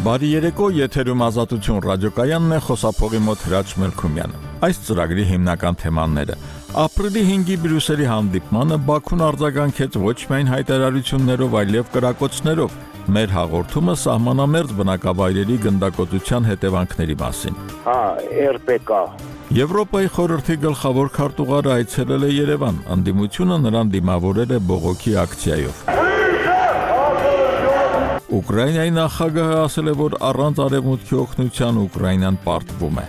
Բարի երեկո, եթերում Ազատություն ռադիոկայանն է, խոսափողի մոտ Հրաչ Մելքումյանը։ Այս ծրագրի հիմնական թեմաները. ապրիլի 5-ի Բրյուսելի հանդիպմանը Բաքուն արձագանքեց ոչ միայն հայտարարություններով, այլև կրակոցներով։ Մեր հաղորդումը սահմանամերձ բնակավայրերի գնդակոծության հետևանքների մասին։ ՌՊԿ Եվրոպայի խորհրդի գլխավոր քարտուղարը այցելել է Երևան, ընդդիմությունը նրան դիմավորել է բողոքի ակցիայով։ Ուկրաինայի նախագահը ասել է, որ առանց արևմուտքի օգնության Ուկրաինան պարտվում է։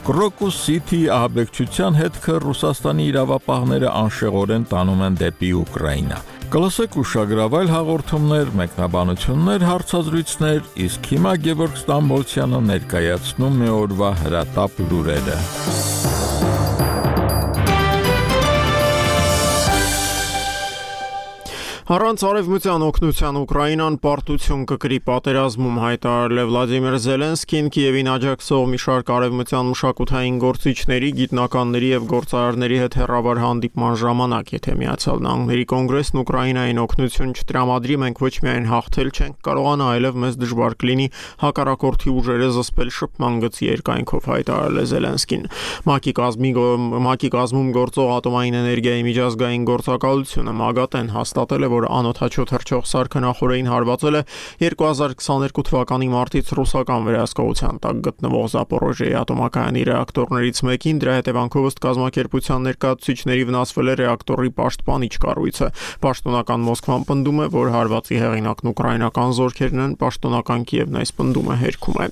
Կրոկուս Սիթիի ահաբեկչության հետքը Ռուսաստանի իրավապահները անշեղորեն տանում են դեպի Ուկրաինա։ Կլսեք ուշագրավայր հաղորդումներ, մեկնաբանություններ, հարցազրույցներ, իսկ հիմա Գևորգ Ստամբոլցյանը ներկայացնում է օրվա հրատապ լուրերը։ Առանց արևմտյան օգնության Ուկրաինան պարտություն կկրի պատերազմում, հայտարարել է Վլադիմիր Զելենսկին Կիևին աջակցող մի շարք արևմտյան մշակութային գործիչների, գիտնականների եւ գործարարների հետ հեռավար հանդիպման ժամանակ, եթե Միացյալ Նահանգների կոնգրեսն Ուկրաինային օգնություն չտրամադրի, մենք ոչ միայն հաղթել չենք կարողանա, այլև մեզ դժվար կլինի հակառակորդի ուժերը զսպել շփման գծի երկայնքով, հայտարարել է Զելենսկին։ ՄԱԿ-ի կազմում գործող ատոմային էներգիայի միջազգային գործակալությունը ՄԱԳԱՏ-ն հաստատել է, որ անօդաչու թռչող սարքը նախորդին հարվածել է 2022 թվականի մարտից ռուսական վերահսկողության տակ գտնվող Զապորոժիեի ատոմակայանի ռեակտորներից մեկին, դրա հետևանքով ըստ կազմակերպության ներկայացուցիչների վնասվել է ռեակտորի պաշտպանիչ կառույցը։ Պաշտոնական Մոսկվան պնդում է, որ հարվածի հեղինակն ուկրաինական զորքերն են, պաշտոնական Կիևն այս պնդումը հերքում է։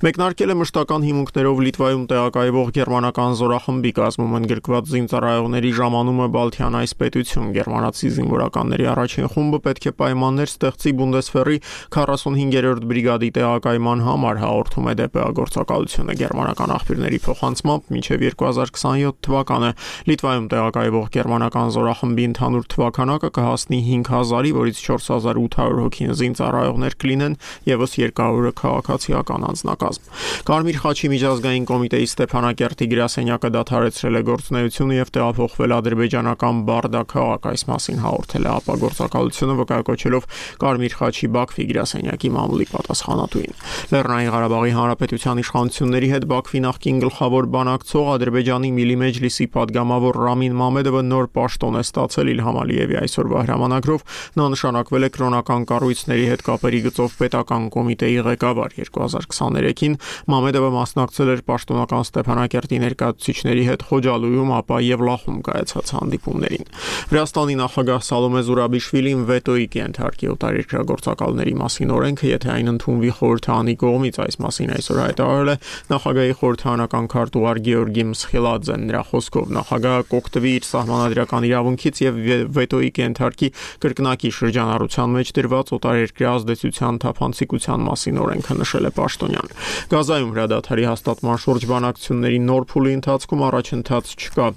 Մեկնարկել է մշտական հիմունքներով Լիտվայում տեղակայվող գերմանական զորախմբի կազմում ընդգրկված զինծառայողների ժամանումը Բալթյան այս պետություն, գերմանացի զինվորականների առաջին խումբը պետք է պայմաններ ստեղծի Բունդեսվերի 45-րդ բրիգադի տեղակայման համար, հաղորդում է ԴՊԱ գործակալությունը գերմանական աղբյուրների փոխանցմամբ մինչև 2027 թվականը Լիտվայում տեղակայվող գերմանական զորախմբի ընդհանուր թվականակը կհասնի 5000-ի, որից 4800 հոգին զինծառայողներ կլինեն եւս 200-ը քաղաքացիական անձնակազմ։ Կարմիր խաչի միջազգային կոմիտեի Ստեփանակերտի գրասենյակը դադարեցրել է գործունեությունը եւ տեղափոխվել ադրբեջանական Բարդա քաղաք, այս մասին հաղորդել է ԱՊԱ գործակալությունը վկայակոչելով Կարմիր խաչի Բաքվի գրասենյակի մամուլի պատասխանատուին։ Լեռնային Ղարաբաղի Հանրապետության իշխանությունների հետ Բաքվի նախկին գլխավոր բանակցող Ադրբեջանի Միլի Մեջլիսի падգամավոր Ռամին Մամեդովը նոր պաշտոն է ստացել Իլհամ Ալիևի այսօրվա հրամանագրով, նա նշանակվել է կրոնական կառույցների հետ կապերի գծով պետական կոմիտեի ղեկավար 2023-ին Մամեդովը մասնակցել էր պաշտոնական Ստեփանակերտի ներկայացուցիչների հետ Խոջալույում, ապա Եվլախում կայացած հանդիպումներին։ Վրաստանի նախագահ Սալոմե Զուրաբիշվիլին վետոյի կենթարկի օտարերկրագործակալների մասին օրենքը, եթե այն ընդունվի խորհրդարանի կողմից, այս մասին այսօր հայտարարել է նախագահի խորհրդարանական քարտուղար Գեորգի Մսխիլաձեն։ Նրա խոսքով նախագահը կօգտվի իր սահմանադրական իրավունքից եւ վետոյի կենթարկի կրկնակի շրջանառության մեջ դրված օտարերկրյա ազդեցության թափանցիկության մասին օրենքը, նշել է պաշտոնյան։ Գազայում հրադադարի հաստատման շուրջ բանակցությունների նոր փուլի ընթացքում առաջընթաց չկա,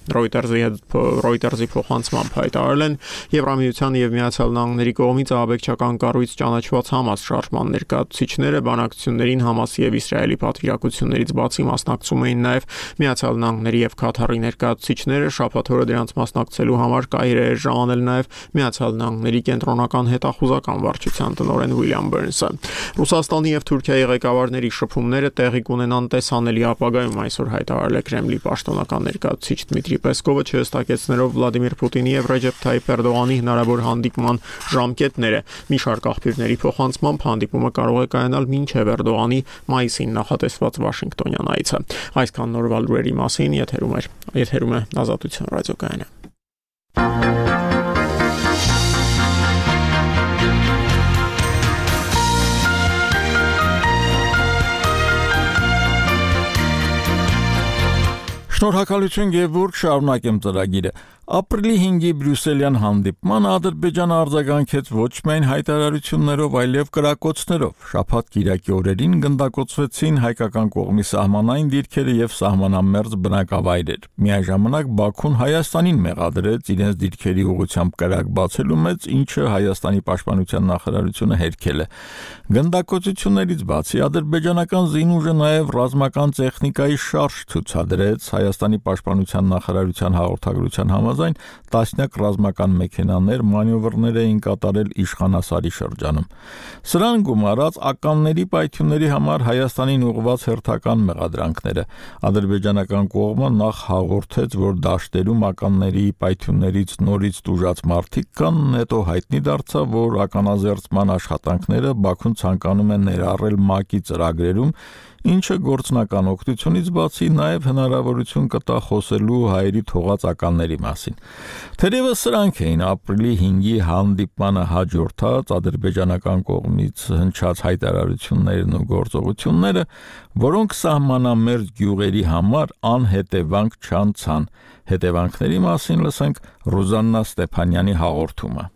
Reuters-ի փոխանցմամբ հայտարարել են Եվրամիության եւ Միացյալ Նահանգների կողմից ահաբեկչական կառույց ճանաչված Համաս շարժման ներկայացուցիչները բանակցություններին Համասի եւ Իսրայելի պատվիրակություններից բացի մասնակցում էին նաեւ Միացյալ Նահանգների եւ Քաթարի ներկայացուցիչները, շաբաթ օրը դրանց մասնակցելու համար Կայրե էր ժամանել նաեւ Միացյալ Նահանգների կենտրոնական հետախուզական վարչության տնօրեն Ուիլյամ Բերնսը։ Ռուսաստանի եւ Թուրքիայի ղեկավարների շփումները տեղի կունենան տեսանելի ապագայում, այսօր հայտարարել է Կրեմլի պաշտոնական ներկայացուցիչ Դմիտրի Պեսկովը, չհստակեցնելով Վլադիմիր Պուտինի եւ Ռեջեփ Թայիփ Էրդողանի հնարավոր հանդիպման ժամկետները։ Մի շարք աղբյուրների փոխանցմամբ հանդիպումը կարող է կայանալ մինչև Էրդողանի մայիսին նախատեսված Վաշինգտոնյան այցը։ Այսքան նորվա լուրերի մասին եթերում է Ազատություն ռադիոկայանը։ Շնորհակալություն Գևորգ, շարունակեմ ծրագիրը։ Ապրիլի 5-ի Բրյուսելյան հանդիպմանը Ադրբեջանը արձագանքեց ոչ միայն հայտարարություններով, այլև կրակոցներով։ Շաբաթ կիրակի օրերին գնդակոծվեցին հայկական կողմի սահմանային դիրքերը եւ սահմանամերձ բնակավայրեր։ Միաժամանակ Բաքուն Հայաստանին մեղադրեց իրենց դիրքերի ուղղությամբ կրակ բացելու մեջ, ինչը Հայաստանի պաշտպանության նախարարությունը հերքել է։ Գնդակոծություններից բացի ադրբեջանական զինուժը նաեւ ռազմական տեխնիկայի շարժ ցուցադրեց Հայաստանի պաշտպանության նախարարության հաղորդագրության համաձայն համաձայն տասնյակ ռազմական մեքենաներ մանևրներ էին կատարել Իշխանասարի շրջանում։ Սրան գումարած ականների պայթյունների համար Հայաստանին ուղղված հերթական մեղադրանքները ադրբեջանական կողմը նախ հաղորդեց, որ դաշտերում ականների պայթյուններից նորից տուժած մարդիկ կան, հետո հայտնի դարձավ, որ ականազերծման աշխատանքները Բաքուն ցանկանում է ներառել ՄԱԿ-ի ծրագրերում, ինչը գործնական օգնությունից բացի նաև հնարավորություն կտա խոսելու հայերի թողած ականների մասին։ Թերևս սրանք էին ապրիլի 5-ի հանդիպմանը հաջորդած ադրբեջանական կողմից հնչած հայտարարություններն ու գործողությունները, որոնք սահմանամերձ գյուղերի համար անհետևանք չանցան։ Հետևանքների մասին լսենք Ռուզաննա Ստեփանյանի հաղորդումը։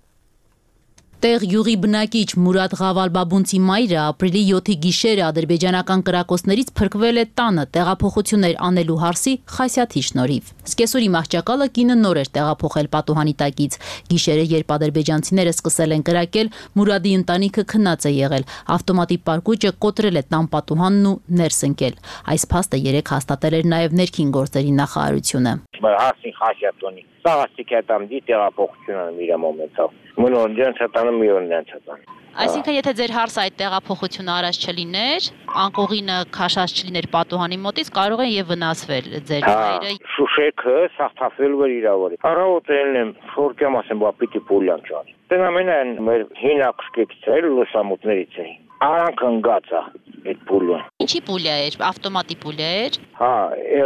Տեղ յուղի բնակիչ Մուրադ Ղավալբաբունցի մայրը ապրիլի 7-ի գիշերը ադրբեջանական կրակոցներից փրկվել է տանը տեղափոխություններ անելու հարսի Խասյաթի շնորհիվ։ Սկեսուրի մահճակալը կինը նոր էր տեղափոխել պատուհանի տակից։ Գիշերը, երբ ադրբեջանցիները սկսել են կրակել, Մուրադի ընտանիքը քնած է եղել։ Ավտոմատի պարկուճը կոտրել է տան պատուհանն ու ներս ընկել։ Այս փաստը երեկ հաստատել էր նաև ներքին գործերի նախարարությունը։ Հարսին Խասյաթոնի սաղաստիկ է там դի տեղափոխությունը իր մոմենտով։ Մնոն ջանցատանը միորն ջանցատան։ Այսինքն, եթե ձեր հարսը այդ տեղափոխությունը արած չլիներ, անկողինը քաշած չլիներ պատուհանի մոտից, կարող են եւ վնասվել ձեր հայրը։ Շուշեքը սախտավել վեր իրավորի։ Առավոտելն եմ շորկեմ ասեմ, բա պիտի պուլյան ճան։ Դենամենան մեր հինակսկից է լուսամուտներից է։ Արանք ընկած է այդ պուլյան։ Ինչի պուլյա էր, ավտոմատի պուլյա էր։ Հա,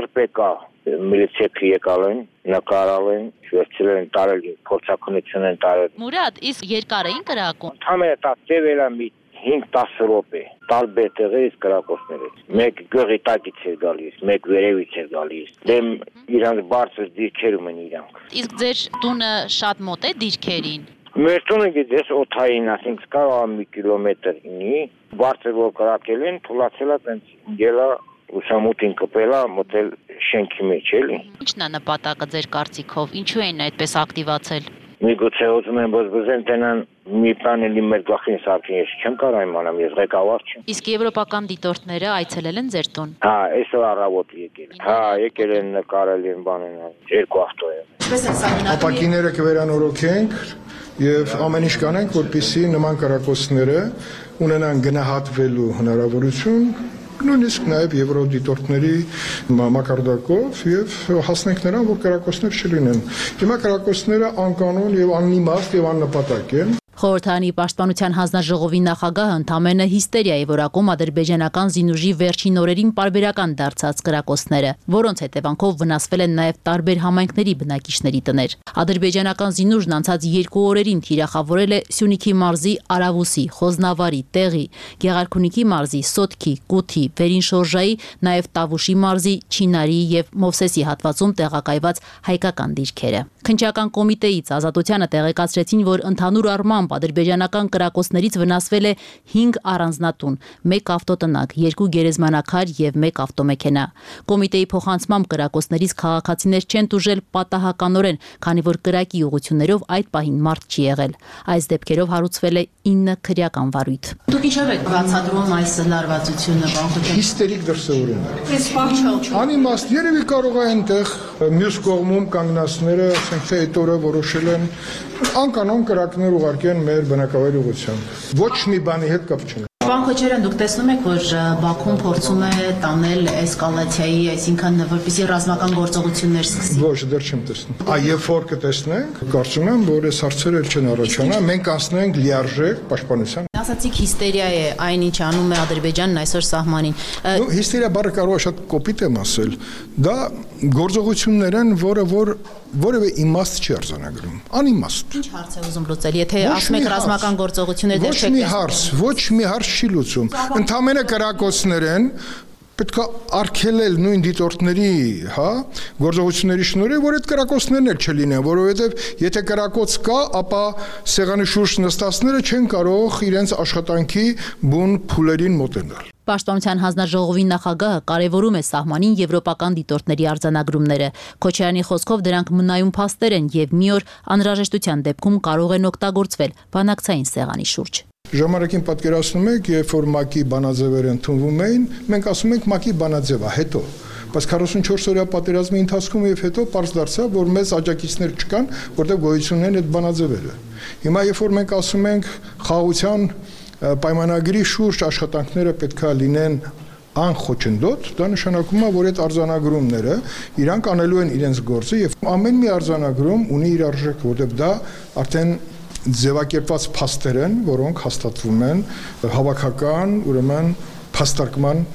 RPK միլիցիայի եկալ են, նկարալ են, վերցրել են տարել, փորձակնություն են տարել։ Մուրադ, իսկ երկար էին կրակում։ Համենը դա տևելա մի 5-10 րոպե, տարբեր տեղերից կրակոցներից։ Մեկ գյուղի տակից էր գալիս, մեկ վերևից էր գալիս։ Դեմ իրանց բարձր դիրքերում են իրանք։ Իսկ ձեր տունը շատ մոտ է դիրքերին։ Մեր տունը գիտես օթային, ասենք կարող մի կիլոմետր ինի, բարձր որ կրակել են, թուլացել է տենց գելա ուսամուտին կպելա մոտել շենքի մեջ էլի։ Ինչն է նպատակը ձեր կարծիքով, ինչու են այդպես ակտիվացել։ Միգուցե ուզում են բզբզեն տենան մի բան էլի մեր գլխին սարքին, ես չեմ կարող իմանամ, ես ղեկավար չեմ։ Իսկ եվրոպական դիտորդները այցելել են ձեր տուն։ Հա, այսօր առավոտ եկել։ Հա, եկել են նկարել են բանեն, երկու ավտո է։ Ապակիները կվերանորոգենք եւ ամեն ինչ կանենք, որպեսզի նման կրակոցները ունենան գնահատվելու հնարավորություն, նույնիսկ նաև եվրոդիտորդների մակարդակով եւ հասնենք նրան, որ կրակոցներ չլինեն։ Հիմա կրակոցները անկանոն եւ անիմաստ եւ աննպատակ են։ Խորհրդարանի պաշտպանության հանձնաժողովի նախագահը ընդամենը հիստերիա է որակում ադրբեջանական զինուժի վերջին օրերին պարբերական դարձած կրակոցները, որոնց հետևանքով վնասվել են նաև տարբեր համայնքների բնակիչների տներ։ Ադրբեջանական զինուժն անցած 2 օրերին թիրախավորել է Սյունիքի մարզի Արավուսի, Խոզնավարի, Տեղի, Գեղարքունիքի մարզի, Սոտքի, Կութի, Վերինշորժայի, նաև Տավուշի մարզի, Չինարի եւ Մովսեսի հատվածում տեղակայված հայկական դիրքերը։ Քննչական կոմիտեից Ազատությանը տեղեկացրեցին, որ ընդհանուր առմամբ ադրբեջանական կրակոցներից վնասվել է 5 առանձնատուն, 1 ավտոտնակ, 2 գերեզմանակար եւ 1 ավտոմեքենա։ Կոմիտեի փոխանցմամբ կրակոցներից քաղաքացիներ չեն տուժել պատահականորեն, քանի որ կրակի ուղղություններով այդ պահին մարդ չի եղել։ Այս դեպքերով հարուցվել է 9 քրեական վարույթ։ Դուք ինչով եք բացատրում այս լարվածությունը, բանջոկ։ Հիստերիկ դրսևորում։ Անիմաստ երևի կարող է այնտեղ մյուս կողմում կանգնածները, ասենք թե այդ օրը որոշել են անկանոն կրակներ ուղարկեն մեր բնակավայր ուղղությամբ։ Ոչ մի բանի հետ կապ չունի։ Պարոն Քոչարյան, դուք տեսնում եք, որ Բաքուն փորձում է տանել էսկալացիայի, այսինքն որպեսզի ռազմական գործողություններ սկսի։ Ոչ, դեռ չեմ տեսնում։ Երբ որ կտեսնենք, կարծում եմ, որ այս հարցերը չեն առաջանա, մենք անցնենք լիարժեք պաշտպանության։ Ասացիք հիստերիա է այն, ինչ անում է Ադրբեջանն այսօր սահմանին։ Հիստերիա բառը կարող է շատ կոպիտ եմ ասել։ Դա գործողություններ են, որը որևէ իմաստ չի արձանագրում։ Անիմաստ։ Ինչ հարց է ուզում լուծել, եթե ասում եք ռազմական գործողություններ դեռ չեք տեսնում։ Ոչ մի հարց չի լուծում։ Ընդհանրապես կրակոցներ են, պետք է արգելել նույն դիտորդների, հա, գործողությունների շնորհիվ, որ այդ կրակոցներն էլ չլինեն, որովհետև եթե կրակոց կա, ապա սեղանի շուրջ նստածները չեն կարող իրենց աշխատանքի բուն փուլերին մոտենալ։ Պաշտպանության հանձնաժողովի նախագահը կարևորում է սահմանին եվրոպական դիտորդների արձանագրումները։ Քոչարյանի խոսքով դրանք մնայուն փաստեր են եւ մի օր անհրաժեշտության դեպքում կարող են օգտագործվել բանակցային սեղանի շուրջ։ Ժամանակին պատկերացնում եք, երբ որ ՄԱԿ-ի բանաձևերը ընդունվում էին, մենք ասում ենք ՄԱԿ-ի բանաձևը, հետո բայց 44 օրյա պատերազմի ընթացքում եւ հետո պարզ դարձավ, որ մեծ աջակիցներ չկան, որտեղ գոյություն են այդ բանաձևերը։ Հիմա երբ որ մենք ասում ենք խաղաղության պայմանագրի շուրջ աշխատանքները պետքա լինեն անխոչնդոտ, դա նշանակում է, որ այդ արձանագրումները իրանք անելու են իրենց գործը եւ ամեն մի արձանագրում ունի իր արժեքը, որտեղ դա արդեն ձևակերպված փաստեր են, որոնք հաստատվում են հավաքական, ուրեմն փաստարկման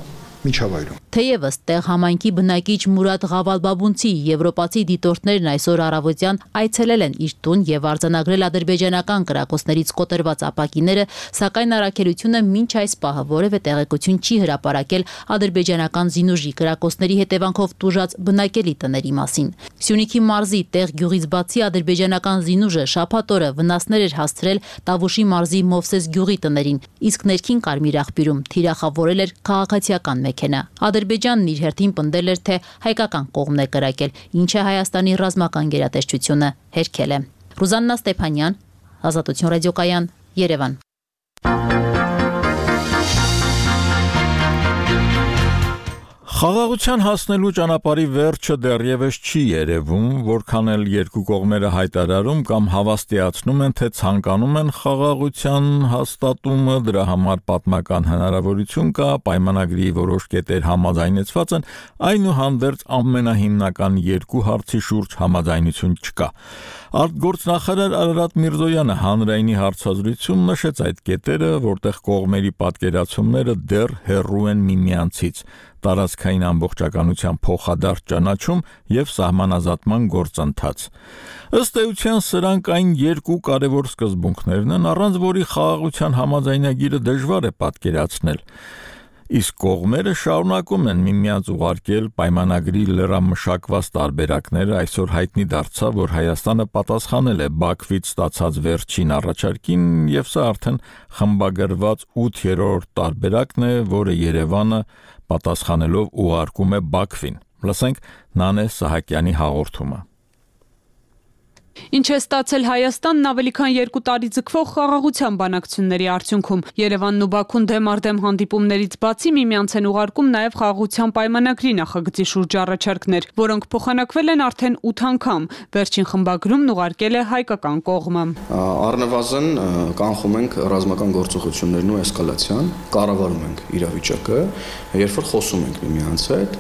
միջավայրում։ Թեևս տեղ համայնքի բնակիչ Մուրադ Ղավալբաբունցի եվրոպացի դիտորդներն այսօր առավոտյան այցելել են իր տուն եւ արձանագրել ադրբեջանական կրակոցներից կոտրված ապակիները, սակայն առաքելությունը մինչ այս պահը որևէ տեղեկություն չի հրապարակել ադրբեջանական զինուժի կրակոցների հետևանքով տուժած բնակելի տների մասին։ Սյունիքի մարզի տեղ գյուղից բացի ադրբեջանական զինուժը շաբաթ օրը վնասներ էր հասցրել Տավուշի մարզի Մովսես գյուղի տներին, իսկ ներքին Կարմիր աղբյուրում թիրախավորել էր քաղաքացիական մեքենա։ Ադրբեջանն իր հերթին պնդել էր, թե հայկական կողմն է կրակել, ինչը Հայաստանի ռազմական գերատեսչությունը հերքել է։ Ռուզաննա Ստեփանյան, Ազատություն ռադիոկայան, Երևան։ Խաղաղության հասնելու ճանապարհի վերջը դեռևս չի երևում, որքան էլ երկու կողմերը հայտարարում կամ հավաստիացնում են, թե ցանկանում են խաղաղության հաստատումը, դրա համար պատմական հնարավորություն կա, պայմանագրի որոշ կետեր համաձայնեցված են, այնուհանդերձ ամենահիմնական երկու հարցի շուրջ համաձայնություն չկա։ Արտգործնախարար Արարատ Միրզոյանը հանրայինի հարցազրույցում նշեց այդ կետերը, որտեղ կողմերի պատկերացումները դեռ հեռու են միմյանցից։ Տարածքային ամբողջականության փոխադարձ ճանաչում եւ սահմանազատման գործընթաց։ Ըստ էության սրանք այն երկու կարևոր սկզբունքներն են, առանց որի խաղաղության համաձայնագիրը դժվար է պատկերացնել։ Իսկ կողմերը շարունակում են միմյանց ուղարկել պայմանագրի լրամշակված տարբերակները, այսօր հայտնի դարձավ, որ Հայաստանը պատասխանել է Բաքվից ստացած վերջին առաջարկին եւ սա արդեն խմբագրված 8-րդ տարբերակն է, որը Երևանը պատասխանելով ուղարկում է Բաքվին։ Լսենք Նանե Սահակյանի հաղորդումը։ Ինչ է ստացել Հայաստանն ավելի քան 2 տարի ձգվող խաղաղության բանակցությունների արդյունքում։ Երևանն ու Բաքուն դեմ առ դեմ հանդիպումներից բացի միմյանց են ուղարկում նաև խաղաղության պայմանագրի նախագծի շուրջ առաջարկներ, որոնք փոխանակվել են արդեն 8 անգամ։ Վերջին խմբագրումն ուղարկել է հայկական կողմը։ Առնվազն կանխում ենք ռազմական գործողություններն ու էսկալացիան, կառավարում ենք իրավիճակը, երբ որ խոսում ենք միմյանց հետ,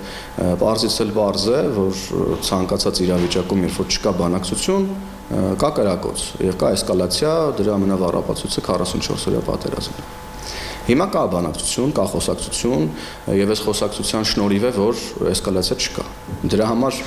պարզից էլ պարզ է, որ ցանկացած իրավիճակում, երբ որ չկա բանակցություն, կա կրակոց եւ կա էսկալացիա, դրա ամենավառ ապացույցը 44 օրյա պատերազմն է։ Հիմա կա բանակցություն, կա խոսակցություն եւ այս խոսակցության շնորհիվ է, որ էսկալացիա չկա։ Դրա համար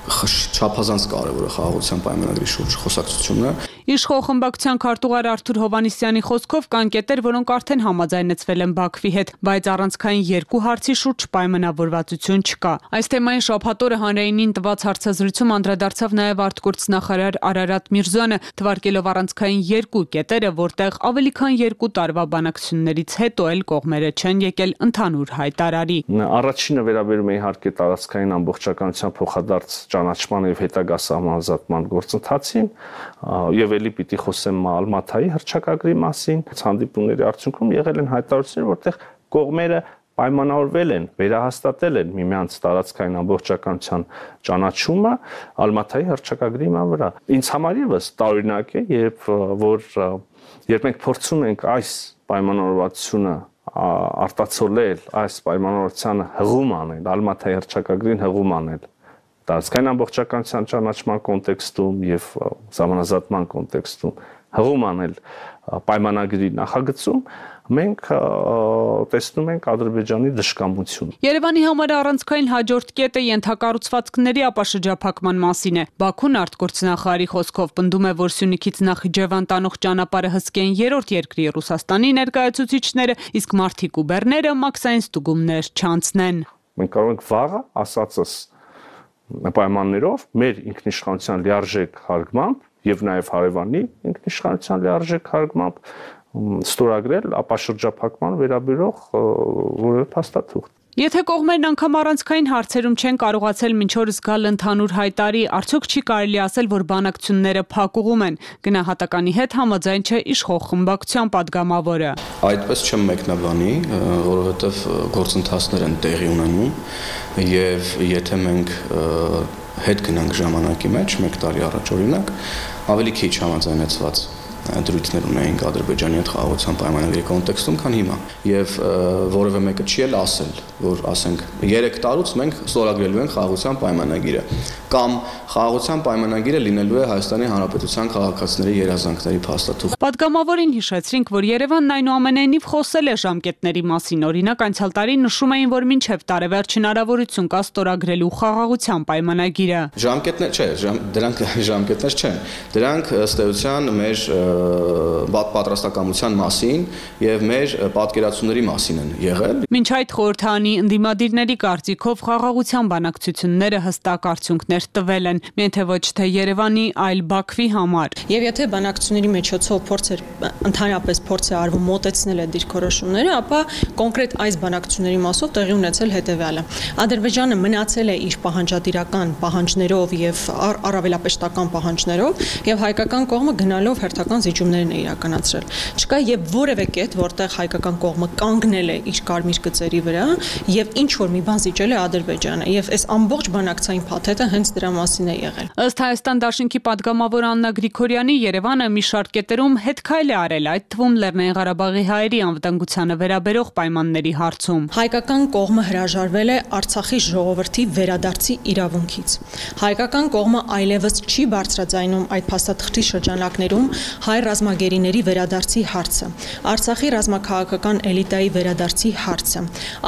չափազանց կարևոր է խաղաղության պայմանագրի շուրջ խոսակցությունը։ Իշխող խմբակցության քարտուղար Արթուր Հովհաննիսյանի խոսքով կան կետեր, որոնք արդեն համաձայնեցվել են Բաքվի հետ, բայց առանցքային երկու հարցի շուրջ պայմանավորվածություն չկա։ Այս թեմային շաբաթ օրը հանրայինին տված հարցազրույցում անդրադարձավ նաև արտգործնախարար Արարատ Միրզոյանը, թվարկելով առանցքային երկու կետերը, որտեղ ավելի քան 2 տարվա բանակցություններից հետո էլ կողմերը չեն եկել ընդհանուր հայտարարի։ Առաջինը վերաբերում է իհարկե տարածքային ամբողջականության փոխադարձ ճանաչման եւ հետագա սահմանազատման գործընթացին եւ էլի պիտի խոսեմ Ալմաթայի հռչակագրի մասին։ Հանդիպումների արդյունքում եղել են հայտարարություններ, որտեղ կողմերը պայմանավորվել են, վերահաստատել են միմյանց տարածքային ամբողջականության ճանաչումը Ալմաթայի հռչակագրի վրա։ Ինձ համար եւս տարօրինակ է, երբ մենք փորձում ենք այս պայմանավորվածությունը արտացոլել, այս պայմանավորվածությանը հղում անել, Ալմաթայի հռչակագրին հղում անել տարածքային ամբողջականության ճանաչման կոնտեքստում եւ սահմանազատման կոնտեքստում հղում անել պայմանագրի նախագծում, մենք տեսնում ենք Ադրբեջանի դժկամություն։ Երևանի համար առանցքային հաջորդ կետը ենթակառուցվածքների ապաշրջափակման մասին է։ Բաքուն արտգործնախարարի խոսքով պնդում է, որ Սյունիքից Նախիջևան տանող ճանապարհը հսկեն երրորդ երկրի Ռուսաստանի ներկայացուցիչները, իսկ Մարտիկ ու Բեռները մաքսային ստուգումներ չանցնեն։ Մենք կարող ենք վաղը ասածս պայմաններով մեր ինքնիշխանության լիարժեք հարգմամբ եւ նաեւ հարևանի ինքնիշխանության լիարժեք հարգմամբ ստորագրել ապաշրջափակման վերաբերող որևէ փաստաթուղթ։ Եթե կողմերն անգամ առանցքային հարցերում չեն կարողացել մինչ օրս գալ ընդհանուր հայտարարի, արդյոք չի կարելի ասել, որ բանակցությունները փակուղում են։ Գնահատականի հետ համաձայն չէ իշխող խմբակցության падգամավորը։ Այդպես չեմ մեկնաբանի, որովհետև գործընթացներ են տեղի ունենում եւ եթե մենք հետ գնանք ժամանակի մեջ, 1 տարի առաջ օրինակ, ավելի քիչ համաձայնեցված դրույթներ ունեինք Ադրբեջանի հետ խաղաղության պայմանագրի կոնտեքստում, քան հիմա։ Եվ որևէ մեկը չի էլ ասել, որ ասենք 3 տարուց մենք ստորագրելու ենք խաղաղության պայմանագիրը, կամ խաղաղության պայմանագիրը լինելու է Հայաստանի Հանրապետության քաղաքացիների երազանքների փաստաթուղթ։ Պատգամավորին հիշեցրինք, որ Երևանն այնուամենայնիվ խոսել է ժամկետների մասին, օրինակ անցյալ տարի նշում էին, որ մինչև տարեվերջ հնարավորություն կա ստորագրելու խաղաղության պայմանագիրը։ Ժամկետներ չէ, դրանք ժամկետներ չեն։ Դրանք ըստ էության մեր պատրաստակամության մասին եւ մեր պատկերացումների մասին են եղել։ Մինչ այդ խորհրդանի ընդդիմադիրների կարծիքով խաղաղության բանակցությունները հստակ արդյունքներ տվել են, միայն թե ոչ թե Երևանի, այլ Բաքվի համար։ Եվ եթե բանակցությունների միջոցով ընդհանրապես փորձ է արվում մոտեցնել այդ դիրքորոշումները, ապա կոնկրետ այս բանակցությունների մասով տեղի ունեցել հետեւյալը։ Ադրբեջանը մնացել է իր պահանջատիրական պահանջներով եւ առավելապեշտական պահանջներով եւ հայկական կողմը գնալով հերթական զիջումներն է իրականացրել։ Չկա եւ որևէ կետ, որտեղ հայկական կողմը կանգնել է իր կարմիր գծերի վրա եւ ինչ որ մի բան զիջել է Ադրբեջանը եւ այս ամբողջ բանակցային փաթեթը հենց դրա մասին է եղել։ Ըստ Հայաստան Դաշնքի падգամավոր Աննա Գրիգորյանի, Երևանը մի շարք կետերում հետքայլ է արել, այդ թվում Լեռնային Ղարաբաղի հայերի անվտանգությանը վերաբերող պայմանների հարցում։ Հայկական կողմը հրաժարվել է Արցախի ժողովրդի վերադարձի իրավունքից։ Հայկական կողմը այլևս չի բարձրաձայնում այդ փաստաթղթի շրջանակներում հայ ռազմագերիների վերադարձի հարցը, Արցախի ռազմաքաղաքական էլիտայի վերադարձի հարցը,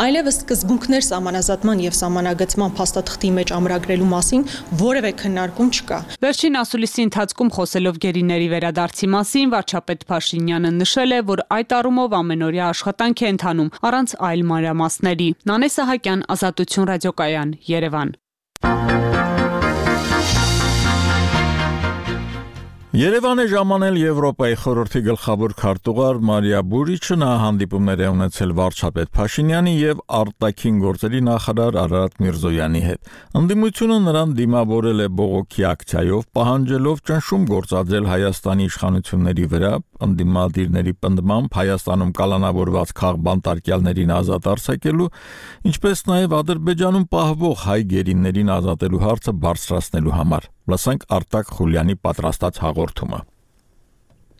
այլևս սկզբունքներ սահմանազատման եւ սահմանագծման փաստաթղթի մեջ ամրագրելու մասին որևէ քննարկում չկա։ Վերջին ասուլիսի ընթացքում խոսելով գերիների վերադարձի մասին, վարչապետ Փաշինյանը նշել է, որ այդ առումով ամենօրյա աշխատանք է ընթանում առանց այլ մանրամասների։ Նանե Սահակյան, Ազատություն ռադիոկայան, Երևան։ Երևան է ժամանել Եվրոպայի խորհրդի գլխավոր քարտուղար Մարիա Բուրիչը, նա հանդիպումներ է ունեցել վարչապետ Փաշինյանի եւ արտաքին գործերի նախարար Արարատ Միրզոյանի հետ։ Ընդդիմությունը նրան դիմավորել է բողոքի ակցիայով, պահանջելով ճնշում գործադրել Հայաստանի իշխանությունների վրա, ընդդիմադիրների պնդմամբ Հայաստանում կալանավորված քաղբանտարկյալներին ազատ արձակելու, ինչպես նաեւ Ադրբեջանում պահվող հայ գերիներին ազատելու հարցը բարձրացնելու համար։ Լսենք Արտակ Խուլյանի պատրաստած հաղորդումը։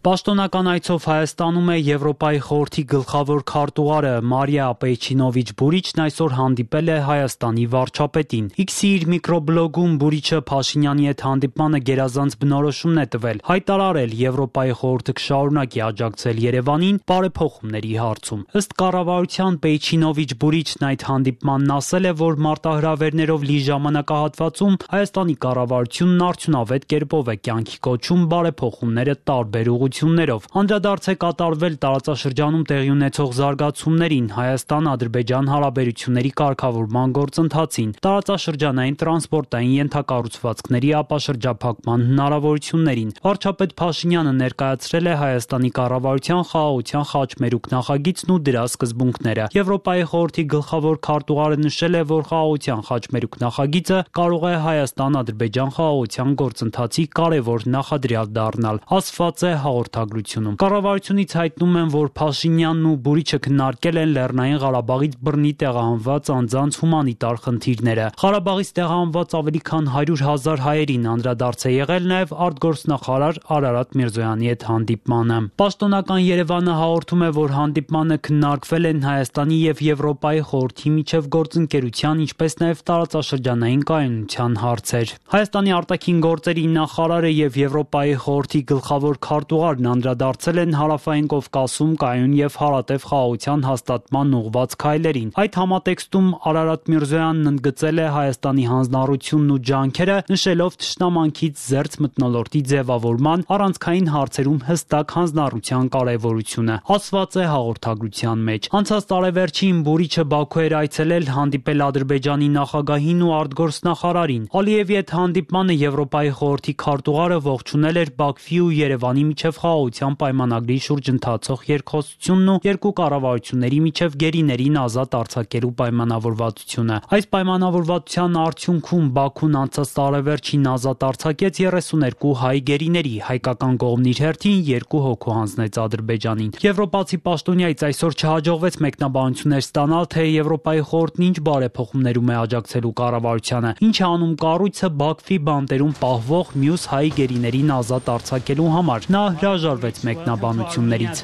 Պաշտոնական այցով Հայաստանում է Եվրոպայի խորհրդի գլխավոր քարտուղարը Մարիա Պեյչինովիչ Բուրիչն այսօր հանդիպել է Հայաստանի վարչապետին։ X-ի իր միկրոբլոգում Բուրիչը Փաշինյանի հետ հանդիպմանը գերազանց բնորոշումն է տվել, հայտարարել Եվրոպայի խորհուրդը կշարունակի աջակցել Երևանին բարեփոխումների հարցում։ Ըստ կառավարության Պեյչինովիչ Բուրիչն այդ հանդիպմանն ասել է, որ մարտահրավերներով լի ժամանակահատվածում Հայաստանի կառավարությունն արդյունավետ կերպով է կյանքի կոչում բարեփոխումները տարբեր ուղղություններով։ Անդրադարձ է կատարվել տարածաշրջանում տեղի ունեցող զարգացումներին, Հայաստան-Ադրբեջան հարաբերությունների կարգավորման գործընթացին, տարածաշրջանային տրանսպորտային ենթակառուցվածքների ապաշրջափակման հնարավորություններին։ Վարչապետ Փաշինյանը ներկայացրել է Հայաստանի կառավարության խաղաղության խաչմերուկ նախագիծն ու դրա սկզբունքները։ Եվրոպայի խորհրդի գլխավոր քարտուղարը նշել է, որ խաղաղության խաչմերուկ նախագիծը կարող է Հայաստան-Ադրբեջան խաղաղության գործընթացի կարևոր նախադրյալ դառնալ, ասված է հաղորդագրությունում։ Կառավարությունից հայտնում են, որ Փաշինյանն ու Բուրիչը քննարկել են Լեռնային Ղարաբաղից բռնի տեղահանված անձանց հումանիտար խնդիրները։ Ղարաբաղից տեղահանված ավելի քան 100,000 հայերին անդրադարձ է եղել նաև արտգործնախարար Արարատ Միրզոյանի հետ հանդիպմանը։ Պաշտոնական Երևանը հաղորդում է, որ հանդիպմանը քննարկվել են Հայաստանի եւ Եվրոպայի խորհրդի միջև գործընկերության, ինչպես նաև տարածաշրջանային կայունության հարցեր։ Հայաստանի արտաքին գործերի նախարարը եւ Եվրոպայի խորհրդի գլխավոր քարտուղարն անդրադարձել են Հարավային Կովկասում կայուն եւ հարատև խաղաղության հաստատման ուղղված քայլերին։ Այդ համատեքստում Արարատ Միրզոյանն ընդգծել է Հայաստանի հանձնառությունն ու ջանքերը, նշելով թշնամանքից զերծ մթնոլորտի ձևավորման առանցքային հարցերում հստակ հանձնառության կարևորությունը, ասված է հաղորդագրության մեջ։ Անցած տարեվերջին Բուրիչը Բաքու էր այցելել հանդիպել Ադրբեջանի նախագահին ու արտգործնախարարին։ Ալիևի հետ հանդիպմանը Եվրոպայի խորհրդի քարտուղարը ողջունել էր Բաքվի ու Երևանի միջև եւ խաղաղության պայմանագրի շուրջ ընթացող երկխոսությունն ու երկու կառավարությունների միջև գերիներին ազատ արձակելու պայմանավորվածությունը։ Այս պայմանավորվածության արդյունքում Բաքուն անցած տարեվերջին ազատ արձակեց 32 հայ գերիների, հայկական կողմն իր հերթին 2 հոգու հանձնեց Ադրբեջանին։ Եվրոպացի պաշտոնյայից այսօր չհաջողվեց մեկնաբանություններ ստանալ, թե Եվրոպայի խորհուրդն ինչ բարեփոխումներում է աջակցելու կառավարությանը, ինչ է անում կառույցը Բաքվի բանտերում պահվող մյուս հայ գերիներին ազատ արձակելու համար։ Նա հրաժարվեց մեկնաբանություններից։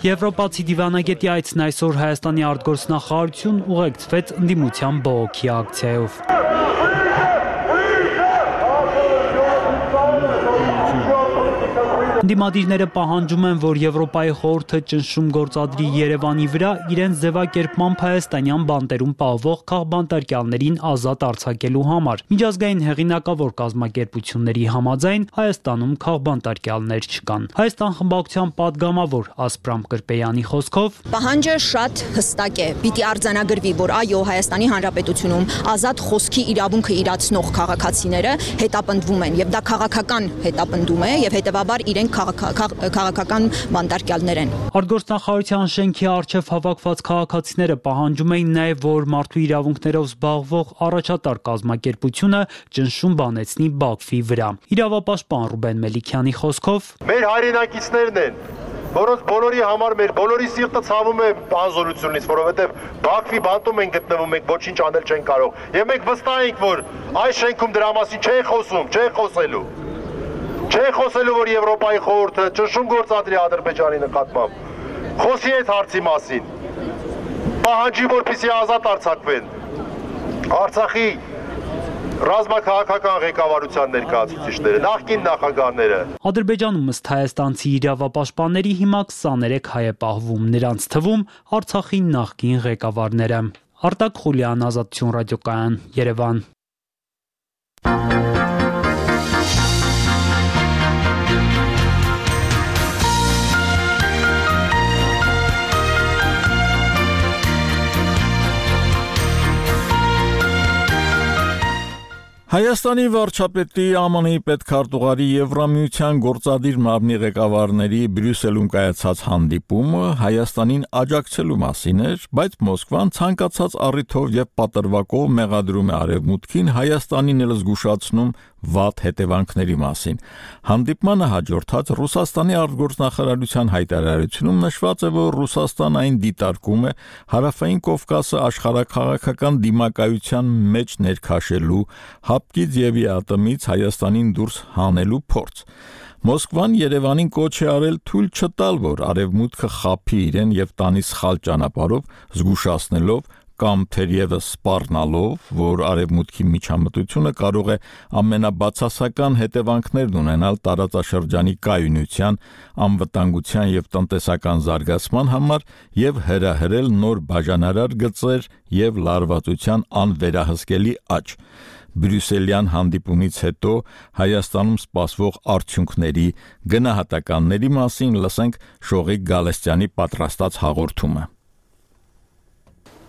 Եվրոպացի դիվանագետի այցն այսօր Հայաստանի արտգործնախարարություն ուղեկցվեց ընդդիմության բողոքի ակցիայով։ Ընդդիմադիրները պահանջում են, որ Եվրոպայի խորհուրդը ճնշում գործադրի Երևանի վրա իրենց ձևակերպմամբ հայաստանյան բանտերում պահվող քաղբանտարկյալներին ազատ արձակելու համար։ Միջազգային հեղինակավոր կազմակերպությունների համաձայն Հայաստանում քաղբանտարկյալներ չկան։ Հայաստան խմբակցության падգամավոր Ասպրամ Կրպեյանի խոսքով պահանջը շատ հստակ է։ Պիտի արձանագրվի, որ այո, Հայաստանի Հանրապետությունում ազատ խոսքի իրավունքը իրացնող քաղաքացիները հետապնդվում են, եւ դա քաղաքական հետապնդում է, եւ հետեւաբար իրենք քաղաքական բանտարկյալներ են։ Արտգործնախարարության շենքի առջև հավաքված քաղաքացիները պահանջում էին նաև, որ մարդու իրավունքներով զբաղվող առաջատար կազմակերպությունը ճնշում բանեցնի Բաքվի վրա։ Իրավապաշտպան Ռուբեն Մելիքյանի խոսքով մեր հայրենակիցներն են, որոնց բոլորի համար մեր բոլորի սիրտը ցավում է անզորությունից, որովհետև Բաքվի բանտում են գտնվում, մենք ոչինչ անել չենք կարող։ Եվ մենք վստահ ենք, որ այս շենքում դրա մասին չեն խոսում, չեն խոսելու։ Չեն խոսելու, որ Եվրոպայի խորհուրդը ճնշում գործադրի Ադրբեջանի նկատմամբ։ Խոսի այդ հարցի մասին։ Պահանջի, որպեսզի ազատ արձակվեն Արցախի ռազմաքաղաքական ղեկավարության ներկայացուցիչները, նախկին նախագահները։ Ադրբեջանում ըստ հայաստանցի իրավապաշտպանների հիմա 23 հայ է պահվում, նրանց թվում Արցախի նախկին ղեկավարները։ Արտակ Խուլյան, Ազատություն ռադիոկայան, Երևան։ Հայաստանի վարչապետի ԱՄՆ-ի պետքարտուղարի Եվրամիության գործադիր մարմնի ղեկավարների Բրյուսելում կայացած հանդիպումը Հայաստանին աջակցելու մասին էր, բայց Մոսկվան ցանկացած առիթով եւ պատրվակով մեղադրում է Արևմուտքին Հայաստանին էլ զգուշացնում վատ հետևանքների մասին։ Հանդիպմանը հաջորդած Ռուսաստանի արտգործնախարարության հայտարարությունում նշված է, որ Ռուսաստանը այն դիտարկում է Հարավային Կովկասը աշխարհաքաղաքական դիմակայության մեջ ներքաշելու, հապկից եւ ատոմից Հայաստանին դուրս հանելու փորձ։ Մոսկվան Երևանին կոչ է արել թույլ չտալ, որ Արևմուտքը խաբի իրեն եւ տանի սխալ ճանապարհով, զգուշացնելով կամ թերևս սպառնալով, որ Արևմուտքի միջամտությունը կարող է ամենաբացասական հետևանքներն ունենալ տարածաշրջանի կայունության, անվտանգության եւ տնտեսական զարգացման համար եւ հրահրել նոր բաժանարար գծեր եւ լարվածության անվերահսկելի աճ։ Բրյուսելյան հանդիպումից հետո Հայաստանում սպասվող արդյունքների, գնահատականների մասին լսենք Շողիկ Գալստյանի պատրաստած հաղորդումը։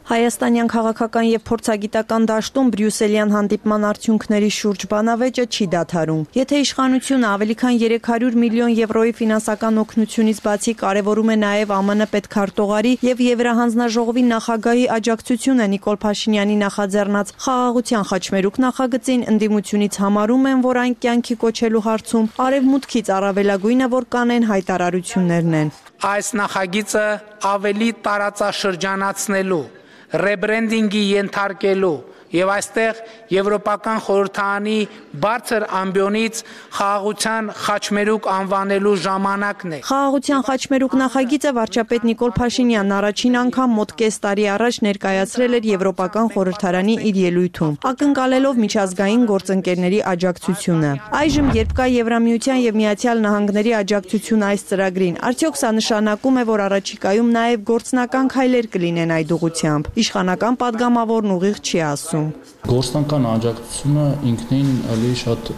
Հայաստանյան քաղաքական եւ փորձագիտական դաշտում Բրյուսելյան հանդիպման արդյունքների շուրջ բանավեճը չի դադարում։ Եթե իշխանությունը ավելի քան 300 միլիոն եվրոյի ֆինանսական օգնությունից բացի կարևորում է նաեւ ԱՄՆ պետքարտուղարի եւ Եվրահանձնաժողովի նախագահի աջակցությունը Նիկոլ Փաշինյանի նախաձեռնած խաղաղության խաչմերուկ նախագծին, ընդդիմությունից համարում են, որ այն կյանքի կոչելու հարցում արևմուտքից առավելագույնը, որ կանեն հայտարարություններն են։ Այս նախագիծը ավելի տարածաշրջանացնելու, ռեբրենդինգի ենթարկելու եւ այստեղ եվրոպական խորհրդարանի բարձր ամբիոնից խաղաղության խաչմերուկ անվանելու ժամանակն է։ Խաղաղության խաչմերուկ նախագիծը վարչապետ Նիկոլ Փաշինյանն առաջին անգամ մոտ կես տարի առաջ ներկայացրել էր եվրոպական խորհրդարանի իր ելույթում, ակնկալելով միջազգային գործընկերների աջակցությունը։ Այժմ, երբ կա Եվրամիության եւ Միացյալ Նահանգների աջակցություն այս ծրագրին, արդյոք սա նշանակում է, որ առաջիկայում նաեւ գործնական քայլեր կլինեն այդ ուղղությամբ։ Իշխանական падգամավորն ուղիղ չի ասում։ Հայաստանում։ Գործնական աջակցությունը ինքնին էլի շատ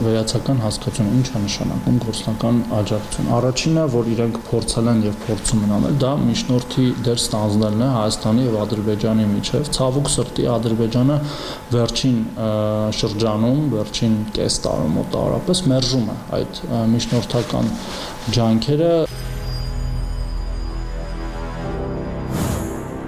վերացական հասկացություն է, ինչ է նշանակում գործնական աջակցություն։ Առաջինը, որ իրենք փորձել են եւ փորձում են անել, դա միջնորդի դեր ստանձնելն է Հայաստանի եւ Ադրբեջանի միջեւ։ Ցավոք սրտի Ադրբեջանը վերջին շրջանում, վերջին կես տարում մոտավորապես մերժում է այդ միջնորդական ջանքերը։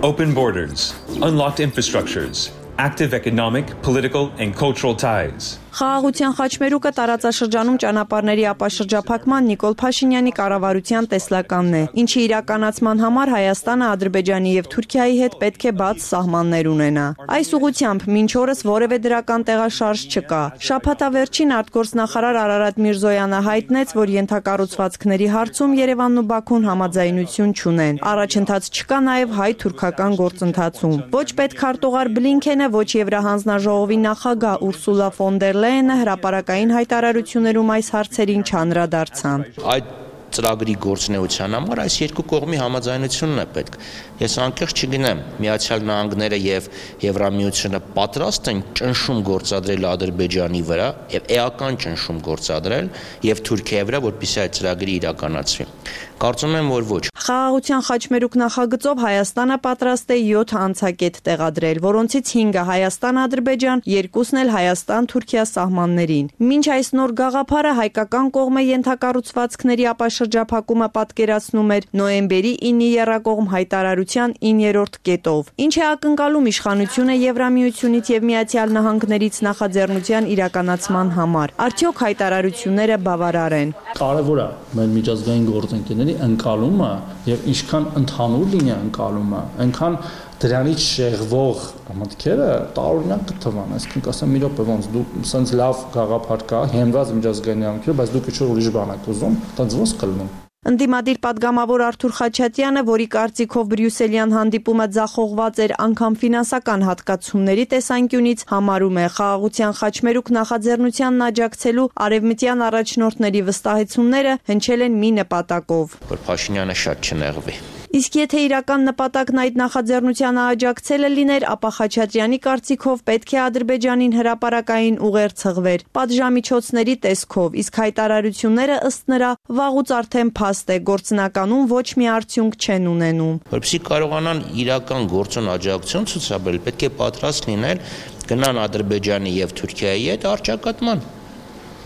Open borders, unlocked infrastructures, active economic, political, and cultural ties. Խաղաղության խաչմերուկը տարածաշրջանում ճանապարհների ապաշրջափակման Նիկոլ Փաշինյանի կառավարության տեսլականն է, ինչի իրականացման համար Հայաստանը Ադրբեջանի եւ Թուրքիայի հետ պետք է բաց սահմաններ ունենա։ Այս ուղղությամբ մինչ օրս որևէ դրական տեղաշարժ չկա։ Շաբաթավերջին արտգործնախարար Արարատ Միրզոյանը հայտնեց, որ ենթակառուցվածքների հարցում Երևանն ու Բաքուն համաձայնություն չունեն։ Առաջընթաց չկա նաեւ հայ-թուրքական գործընթացում։ Ոչ պետքարտուղար Բլինքենը, ոչ Եվրահանձնաժողովի նախագահ Ուրսուլա ֆոն դեր Լեյենը հրապարակային հայտարարություններում այս հարցերին չանդրադարձան։ Այդ ծրագրի գործունեության համար այս երկու կողմի համաձայնությունն է պետք։ Ես անկեղծ չգնեմ, Միացյալ Նահանգները եւ Եվրամիությունը պատրաստ են ճնշում գործադրել Ադրբեջանի վրա եւ էական ճնշում գործադրել եւ Թուրքիայի վրա, որպեսզի այդ ծրագրի իրականացվի։ Կարծում եմ, որ ոչ։ Խաղաղության խաչմերուկ նախագծով Հայաստանը պատրաստ է 7 անցակետ տեղադրել, որոնցից 5-ը Հայաստան-Ադրբեջան, 2-ն էլ Հայաստան-Թուրքիա սահմաններին։ Մինչ այս նոր գաղափարը հայկական կողմը ենթակառուցվածքների ապաշրջափակումը պատկերացնում էր նոյեմբերի 9-ի եռակողմ հայտարարության 9-րդ կետով, ինչ է ակնկալում իշխանությունը Եվրամիությունից եւ Միացյալ Նահանգներից նախաձեռնության իրականացման համար։ Արդյոք հայտարարությունները բավարար են։ Կարևոր է մեր միջազգային գործընկերների ընկալումը եւ ինչքան ընդհանուր լինի ընկալումը, այնքան դրանից շեղվող մտքերը տարօրինակ կթվան, այսինքն կասեմ մի րոպե ոնց դու սենց լավ գաղափար կա, հենված միջազգային իրավունքով, բայց դուք ինչ-որ ուրիշ բան եք ուզում, դա ոնց կլինի։ Ընդդիմադիր պատգամավոր Արթուր Խաչատյանը, որի կարծիքով բրյուսելյան հանդիպումը ձախողված էր անգամ ֆինանսական հատկացումների տեսանկյունից, համարում է խաղաղության խաչմերուկ նախաձեռնությանն աջակցելու արևմտյան առաջնորդների վստահեցումները հնչել են մի նպատակով, որ Փաշինյանը շատ չնեղվի։ Իսկ եթե իրական նպատակն այդ նախաձեռնությանը աջակցելը լիներ, ապա Խաչատրյանի կարծիքով պետք է Ադրբեջանին հրապարակային ուղեր ցղվեր պատժամիջոցների տեսքով, իսկ հայտարարությունները ըստ նրա վաղուց արդեն փաստ է, գործնականում ոչ մի արդյունք չեն ունենում։ Որպեսզի կարողանան իրական գործոն աջակցություն ցուցաբերել, պետք է պատրաստ լինել գնան Ադրբեջանի եւ Թուրքիայի հետ առճակատման։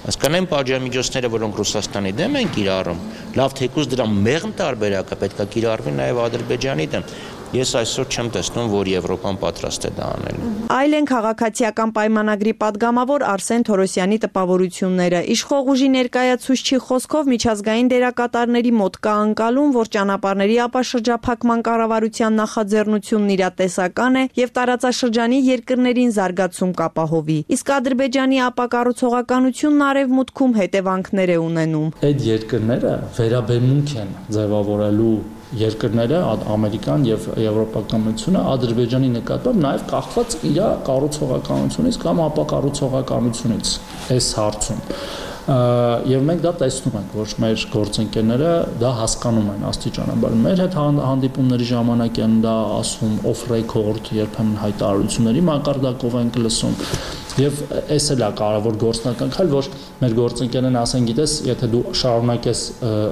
Հասկանեմ պատժամիջոցները, որոնք Ռուսաստանի դեմ են կիրառում, լավ թեկուզ դրա մեղմ տարբերակը պետք է կիրառվի նաև Ադրբեջանի դեմ։ Ես այսօր չեմ տեսնում, որ Եվրոպան պատրաստ է դա անելու։ Այլ են քաղաքացիական պայմանագրի падգամավոր Արսեն Թորոսյանի տպավորությունները։ Իշխող ուժի ներկայացուցչի խոսքով միջազգային դերակատարների մոտ կա անկալում, որ ճանապարհների ապաշրջափակման կառավարության նախաձեռնությունն իրատեսական է եւ տարածաշրջանի երկրներին զարգացում կապահովի։ Իսկ Ադրբեջանի ապակառուցողականությունն արևմուտքում հետևանքներ է ունենում։ Այդ երկրները վերաբերմունք են ձևավորելու երկրները, Ամերիկան եւ Եվրոպական միությունը Ադրբեջանի նկատմամբ նաեւ կախված իր կառուցողականությունից կամ ապակառուցողականությունից այս հարցում։ Եվ մենք դա տեսնում ենք, որ մեր գործընկերները դա հասկանում են աստիճանաբար։ Մեր հետ հանդիպումների ժամանակ են դա ասում off record, երբեմն հայտարարությունների մակարդակով ենք լսում։ Եվ այս էլ է կարևոր գործնական քայլ, որ մեր գործընկերներն ասեն, գիտես, եթե դու շարունակես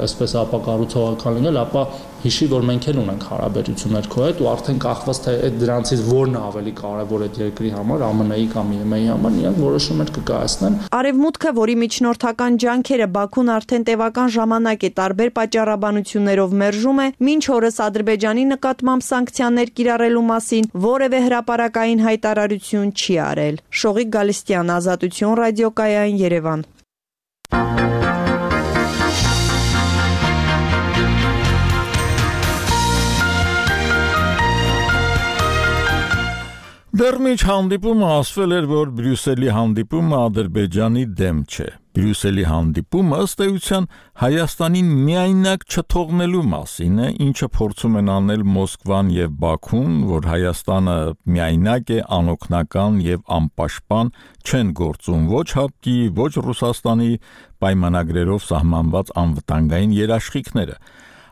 այսպես ապակառուցողական լինել, ապա հիշի, որ մենք էլ ունենք հարաբերություններ քո հետ ու արդեն կախված թե այդ դրանցից որն է ավելի կարևոր այդ երկրի համար, ԱՄՆ-ի կամ ԵՄ-ի համար, իրանք որոշումներ կկայացնեն։ Արևմուտքը, որի միջնորդական ջանքերը Բաքուն արդեն տևական ժամանակ է տարբեր պատճառաբանություններով մերժում է, մինչ օրս Ադրբեջանի նկատմամբ սանկցիաներ կիրառելու մասին որևէ հրապարակային հայտարարություն չի արել։ Շողիկ Գալստյան, Ազատություն ռադիոկայան, Երևան։ Դեռ միջ հանդիպումը ասվել էր, որ Բրյուսելի հանդիպումը Ադրբեջանի դեմ չէ։ Բրյուսելի հանդիպումը ըստ էության Հայաստանին միայնակ չթողնելու մասին է, ինչը փորձում են անել Մոսկվան եւ Բաքուն, որ Հայաստանը միայնակ է, անօգնական եւ անպաշտպան, չեն գործում ոչ ՀԱՊԿ-ի, ոչ Ռուսաստանի պայմանագրերով սահմանված անվտանգային երաշխիքները։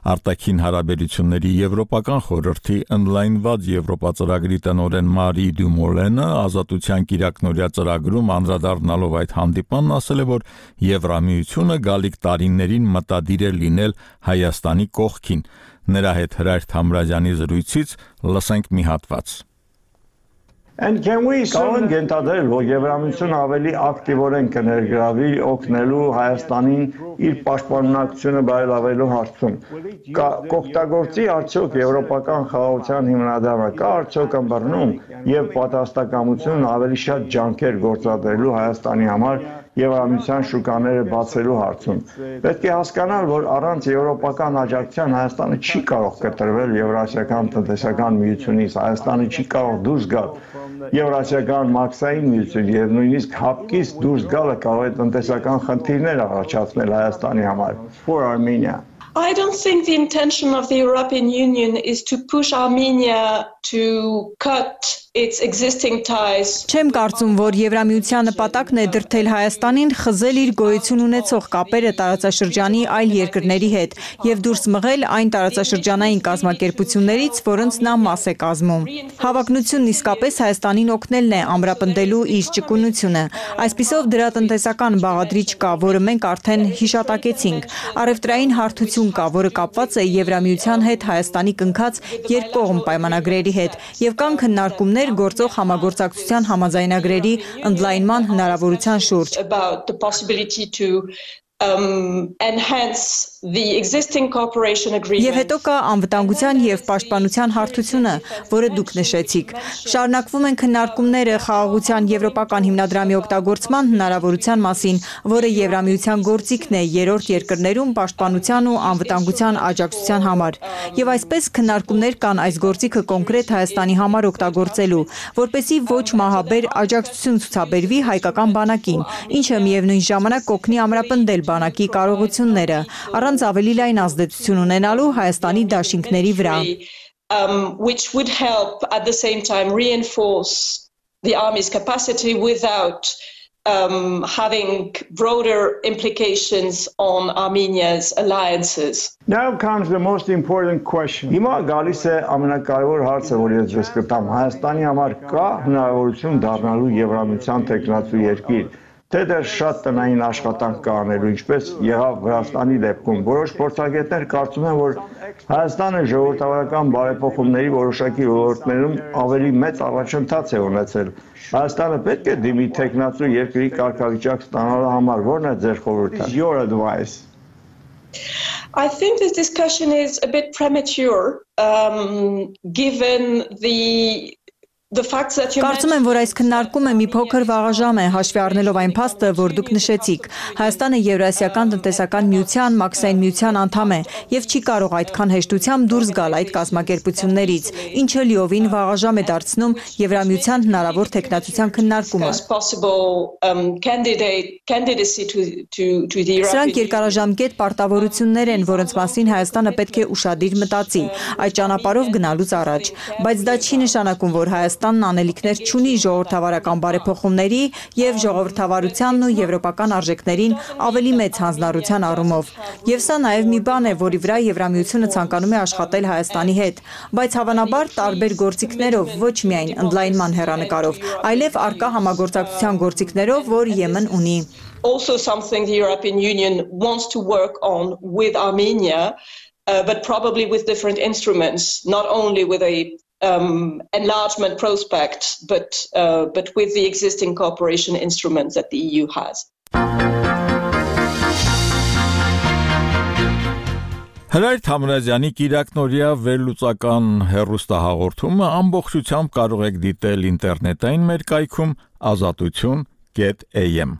Արտաքին հարաբերությունների եվրոպական խորհրդի ընդլայնված Եվրոպա ծրագրի տնօրեն Մարի Դումոլենը ազատության կիրակնօրյա ծրագրում անդրադառնալով այդ հանդիպանն ասել է, որ Եվրամիությունը գալիք տարիներին մտադիր է լինել Հայաստանի կողքին։ Նրա հետ Հրայր Թամրազյանի զրույցից լսենք մի հատված։ Կարող ենք ենթադրել, որ Եվրամիությունը ավելի ակտիվորեն կներգրավի օգնելու Հայաստանին իր պաշտպանունակությունը բարելավելու հարցում։ Կօգտագործի արդյոք եվրոպական խաղաղության հիմնադրամը, կա արդյոք ըմբռնում եւ պատրաստակամություն ավելի շատ ջանքեր գործադրելու Հայաստանի համար Եվրամիության շուկաները բացելու հարցում։ Պետք է հասկանալ, որ առանց եվրոպական աջակցության Հայաստանը չի կարող կտրվել Եվրասիական տնտեսական միությունից, Հայաստանը չի կարող դուրս գալ Եվրասիական մաքսային միություն եւ նույնիսկ հապկից դուրս գալը կարող է տնտեսական խնդիրներ առաջացնել Հայաստանի համար։ For Armenia. I don't think the intention of the European Union is to push Armenia to cut its existing ties. Չեմ կարծում, որ Եվրամիության նպատակն է դրդել Հայաստանին խզել իր գոյություն ունեցող կապերը տարածաշրջանի այլ երկրների հետ եւ դուրս մղել այն տարածաշրջանային կազմակերպություններից, որոնց նա մաս է կազմում։ Հավակնությունն իսկապես Հայաստանին օգնելն է ամրապնդելու իր ճկունությունը։ Այսպիսով դրա տնտեսական բաղադրիչ կա, որը մենք արդեն հիշատակեցինք։ Առևտրային հարթություն կա, որը կապված է Եվրամիության հետ Հայաստանի կնքած երկկողմ պայմանագրերի հետ եւ կան քննարկումներ գործող համագործակցության համաձայնագրերի ընդլայնման հնարավորության շուրջ։ Enhance the existing cooperation agreement. Եվ հետո կա անվտանգության եւ պաշտպանության հարթությունը, որը դուք նշեցիք։ Շարունակվում են քննարկումները խաղաղության եվրոպական հիմնադրամի օգտագործման հնարավորության մասին, որը Եվրամիության գործիքն է երրորդ երկրներում պաշտպանության ու անվտանգության աջակցության համար։ Եվ այսպես քննարկումներ կան այս գործիքը կոնկրետ Հայաստանի համար օգտագործելու, որպեսզի ոչ մահաբեր աջակցություն ցուցաբերվի հայկական բանակին, ինչը միևնույն ժամանակ կօգնի ամրապնդել բանակի կարողությունները, առանց ավելի լայն ազդեցություն ունենալու Հայաստանի դաշինքների վրա։ Which would help at the same time reinforce the army's capacity without having broader implications on Armenia's alliances. Now comes the most important question. Հիմա գալիս է ամենակարևոր հարցը, որ ես ձեզ կտամ։ Հայաստանի համար կա հնարավորություն դառնալու Եվրամիության տեխնացու երկիր, թե դեռ շատ տնային աշխատանք կա անելու, ինչպես եղավ Վրաստանի դեպքում։ Որոշ փորձագետներ կարծում են, որ Հայաստանը ժողովրդավարական բարեփոխումների որոշակի ոլորտներում ավելի մեծ առաջընթաց է ունեցել։ Հայաստանը պետք է դիմի տեխնացու երկրի կարգավիճակ ստանալու համար, ո՞րն է ձեր խորհուրդը? Your advice. I think this discussion is a bit premature, given the facts that you Կարծում եմ, որ այս քննարկումը մի փոքր վաղաժամ է, հաշվի առնելով այն փաստը, որ դուք նշեցիք։ Հայաստանը Եվրասիական տնտեսական միության, մաքսային միության անդամ է եւ չի կարող այդքան հեշտությամբ դուրս գալ այդ կազմակերպություններից, ինչը լիովին վաղաժամ է դարձնում Եվրամիության հնարավոր տեխնացության քննարկումը։ Սրանք երկարաժամկետ պարտավորություններ են, որոնց մասին Հայաստանը պետք է ուշադիր մտածի, այդ ճանապարհով գնալուց առաջ, բայց դա չի նշանակում, որ Հայաստանն անելիքներ չունի ժողովրդավարական բարեփոխումների եւ ժողովրդավարությանն ու եվրոպական արժեքներին ավելի մեծ հանձնառության առումով։ Եվ սա նաեւ մի բան է, որի վրա Եվրամիությունը ցանկանում է աշխատել Հայաստանի հետ, բայց հավանաբար տարբեր գործիքներով, ոչ միայն ընդլայնման հեռանկարով, այլև արկա համագործակցության գործիքներով, որ Եմեն ունի։ Also something the European Union wants to work on with Armenia, but probably with different instruments, not only with a enlargement prospect, but with the existing cooperation instruments that the EU has. Հրայր Թամրազյանի կիրակնօրյա վերլուծական հեռուստահաղորդումը ամբողջությամբ կարող եք դիտել ինտերնետային մեր կայքում azatutun.am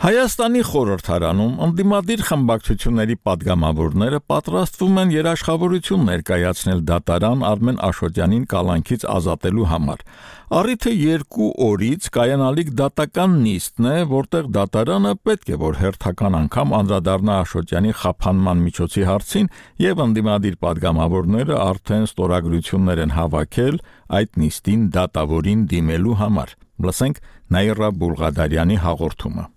Հայաստանի խորհրդարանում ընդդիմադիր խմբակցությունների падգամավորները պատրաստվում են երաշխավորություն ներկայացնել դատարան Արմեն Աշոտյանին կալանքից ազատելու համար։ Առիթը 2 օրից կայանալիք դատական նիստն է, որտեղ դատարանը պետք է որ հերթական անգամ անդրադառնա Աշոտյանի խափանման միջոցի հարցին եւ ընդդիմադիր падգամավորները արդեն ստորագրություններ են հավաքել այդ նիստին դատավորին դիմելու համար։ Լսենք Նաիրա Բուլղադարյանի հաղորդումը։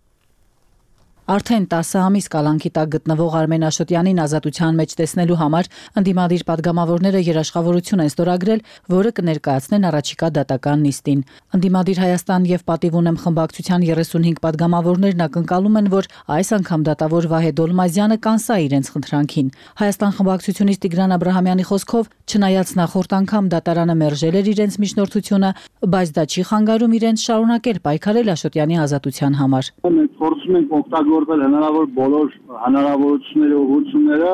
Արդեն 10 ամիս կալանքի տակ գտնվող Արմեն Աշոտյանին ազատության մեջ տեսնելու համար ընդդիմադիր падգամավորները երաշխավորություն են ստորագրել, որը կներկայացնեն առաջիկա դատական նիստին։ Ընդդիմադիր Հայաստան եւ Պատիվ ունեմ խմբակցության 35 падգամավորներն ակնկալում են, որ այս անգամ դատավոր Վահե Դոլմազյանը կանսա իրենց խնդրանքին։ Հայաստան խմբակցությունից Տիգրան Աբրահամյանի խոսքով, չնայած նախորդ անգամ դատարանը մերժել էր իրենց միջնորդությունը, բայց դա չի խանգարում իրենց շարունակել պայքարել Աշոտյանի ազատության համար։ Փորձում ենք օգտագործել հնարավոր բոլոր հնարավորությունները ուղղությունները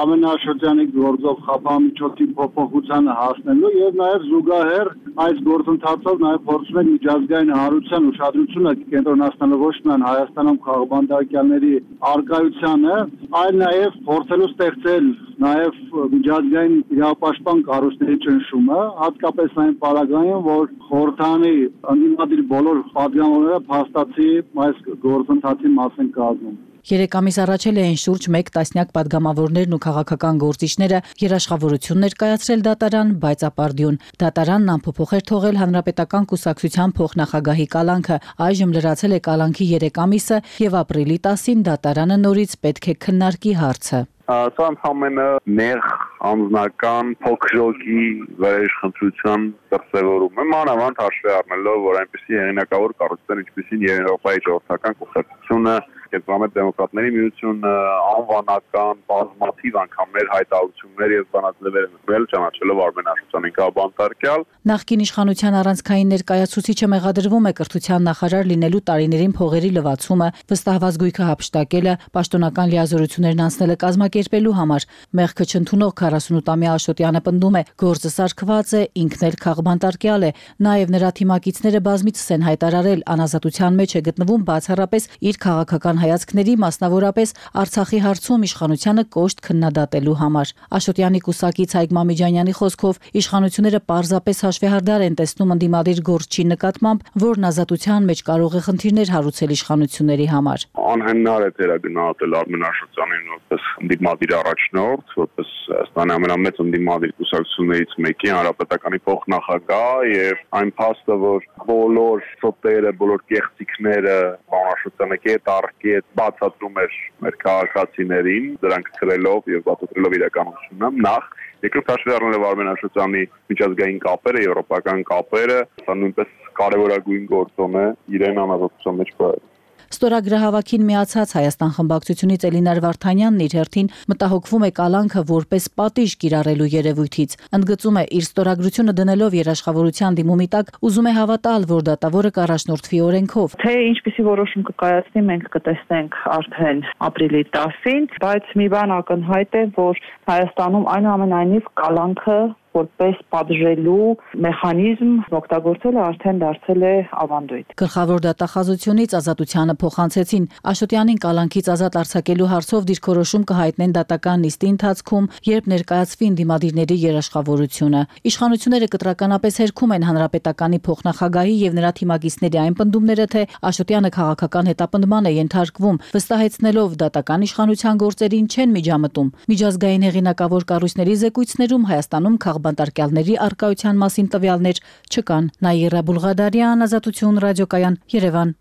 Արմեն Աշոտյանի գործով խափամիջոցի փոփոխությանը հասնելու եւ նաեւ զուգահեռ այս գործընթացով նաեւ փորձում ենք միջազգային հանրության ուշադրությունը կենտրոնացնելու ոչ միայն Հայաստանում քաղբանտարկյալների արկայությանը, այլ նաեւ փորձելու ստեղծել նաեւ միջազգային իրավապաշտպան կառույցների ճնշումը, հատկապես այն պարագայում, որ խորհրդանի ընդդիմադիր բոլոր падգամավորները փաստացի այս գործընթացի մաս են կազմում։ 3 ամիս առաջ էին շուրջ 1 տասնյակ падգամավորներն ու քաղաքական գործիչները երաշխավորություն ներկայացրել դատարան, բայց ապարդյուն։ Դատարանն անփոփոխ էր թողել հանրապետական կուսակցության փոխնախագահի կալանքը, այժմ լրացել է կալանքի 3 ամիսը եւ ապրիլի 10-ին դատարանը նորից պետք է քննարկի հարցը։ Սա ընդհանրապես նեղ անձնական փոքրոքի վերաիշխանության դրսևորում է, մանավանդ հաշվի առնելով, որ այնպիսի հեղինակավոր կառույցներ, ինչպիսին Եվրոպայի ժողովրդական կուսակցությունը, Կենտրոնամետ դեմոկրատների միությունը, անվանական, բազմաթիվ անգամներ հայտարարություններ եւ բանաձևեր են տրվել ճանաչելով Արմեն Աշոտյանին քաղբանտարկյալ։ Նախկին իշխանության առանցքային ներկայացուցիչը մեղադրվում է կրթության նախարար լինելու տարիներին փողերի լվացումը, վստահված գույքը հափշտակելը, պաշտոնական լիազորություններն անցնելը կազմակերպելու համար։ Մեղքը չընդունող 48-ամյա Աշոտյանը պնդում է, գործը սարքված է, ինքն էլ քաղբանտարկյալ է։ Նաեւ նրա թիմակիցները բազմիցս են հայտարարել, անազատության մեջ է գտնվում բացառապես իր քաղաքական հայացքների, մասնավորապես Արցախի հարցում իշխանությանը կոշտ քննադատելու համար։ Աշոտյանի կուսակից Հայկ Մամիջանյանի խոսքով իշխանությունները պարզապես հաշվեհարդար են տեսնում ընդդիմադիր գործչի նկատմամբ, որն ազատության մեջ կարող է խնդիրներ հարուցել իշխանությունների համար։ Անհնար է դերագնահատել Արմեն Աշոտյանին որպես ընդդիմադիր առաջնորդ, որպես Հայաստանի ամենամեծ ընդդիմադիր կուսակցություններից մեկի, հանրապետականի փոխնախագահ եւ այն փաստը, որ բոլոր սոտերը, բոլոր կեղծիքները Աշոտյանը կետ առ կետ բացատրում էր մեր քաղաքացիներին, դրանք ցրելով եւ բացատրելով իրականությունը, նախ երկրորդ հաշվի առնելով Արմեն Աշոտյանի միջազգային կապերը, եվրոպական կապերը, սա նույնպես կարևորագույն գործոն է իրեն անազատության մեջ բերել։ Ստորագրահավաքին միացած Հայաստան խմբակցությունից Էլինար Վարդանյանն իր հերթին մտահոգվում է կալանքը որպես պատիժ կիրառելու երևույթից։ Ընդգծում է, իր ստորագրությունը դնելով երաշխավորության դիմումի տակ, ուզում է հավատալ, որ դատավորը կառաջնորդվի օրենքով։ Թե ինչպիսի որոշում կկայացնի, մենք կտեսնենք արդեն ապրիլի 10-ին, բայց մի բան ակնհայտ է, որ Հայաստանում այնուամենայնիվ կալանքը որպես պատժելու մեխանիզմ օգտագործելը արդեն դարձել է ավանդույթ։ Գլխավոր դատախազությունից ազատությանը փոխանցեցին Աշոտյանին կալանքից ազատ արձակելու հարցով դիրքորոշում կհայտնեն դատական նիստի ընթացքում, երբ ներկայացվի ընդդիմադիրների երաշխավորությունը։ Իշխանությունները կտրականապես հերքում են հանրապետականի փոխնախագահի եւ նրա թիմակիցների այն պնդումները, թե Աշոտյանը քաղաքական հետապնդման է ենթարկվում, վստահեցնելով դատական իշխանության գործերին չեն միջամտում։ Միջազգային հեղինակավոր կառույցների զեկույցներում Հայաստանում բանտարկյալների արկայության մասին տվյալներ չկան։ Նաիրա Բուլղադարյան, Ազատություն ռադիոկայան, Երևան։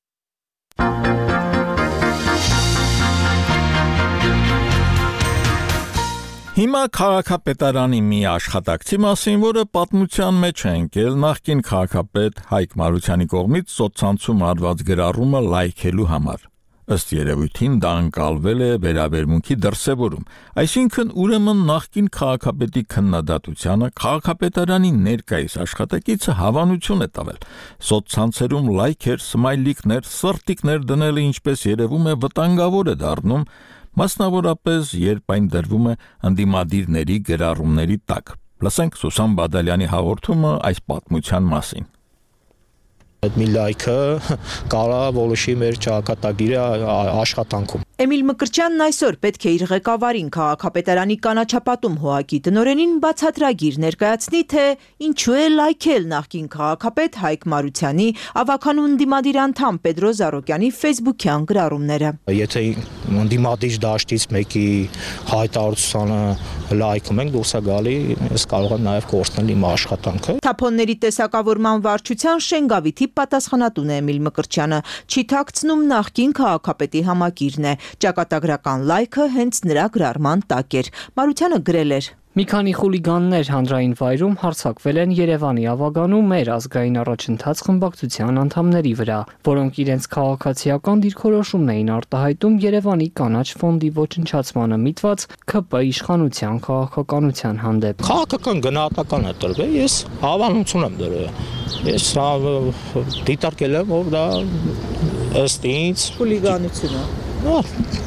Հիմա քաղաքապետարանի մի աշխատակցի մասին, որը պատմության մեջ է ընկել նախկին քաղաքապետ Հայկ Մարությանի կողմից սոցցանցում արված գրառումը լայքելու համար։ Ըստ երևույթին դա ընկալվել է վերաբերմունքի դրսևորում, այսինքն ուրեմն նախկին քաղաքապետի քննադատությանը քաղաքապետարանի ներկայիս աշխատակիցը հավանություն է տվել։ Սոցցանցերում լայքեր, սմայլիկներ, սրտիկներ դնելը ինչպես երևում է վտանգավոր է դառնում, մասնավորապես երբ այն դրվում է ընդդիմադիրների գրառումների տակ։ Լսենք Սուսան Բադալյանի հաղորդումը այս պատմության մասին։ Այդ մի լայքը կարա որոշի մեր ճակատագիրը աշխատանքում։ Էմիլ Մկրտչյանն այսօր պետք է իր ղեկավարին քաղաքապետարանի կանաչապատում ՀՕԱԿ-ի տնօրենին բացատրագիր ներկայացնի, թե ինչու է լայքել նախկին քաղաքապետ Հայկ Մարությանի ավականու ընդդիմադիր անդամ Պետրո Զարոկյանի ֆեյսբուքյան գրառումները։ Եթե ընդդիմադիր դաշտից մեկի հայտարարությանը լայքում ենք, դուրս է գալի, ես կարող եմ նաև կորցնել իմ աշխատանքը։ Թափոնների տեսակավորման վարչության Շենգավիթի պատասխանատուն է Էմիլ Մկրտչյանը, չի թաքցնում նախկին քաղաքապետի համակիրն է։ Ճակատագրական լայքը հենց նրա գրառման տակ էր։ Մարությանը գրել էր. Մի քանի խուլիգաններ հանրային վայրում հարձակվել են Երևանի ավագանու մեր ազգային առաջընթաց խմբակցության անդամների վրա, որոնք իրենց քաղաքացիական դիրքորոշումն էին արտահայտում Երևանի կանաչ ֆոնդի ոչնչացմանը միտված ՔՊ իշխանության քաղաքականության հանդեպ։ Քաղաքական գնահատական է տրվել, ես հավանություն եմ դրել։ Ես դիտարկել եմ, որ դա ըստ ինձ խուլիգանություն է։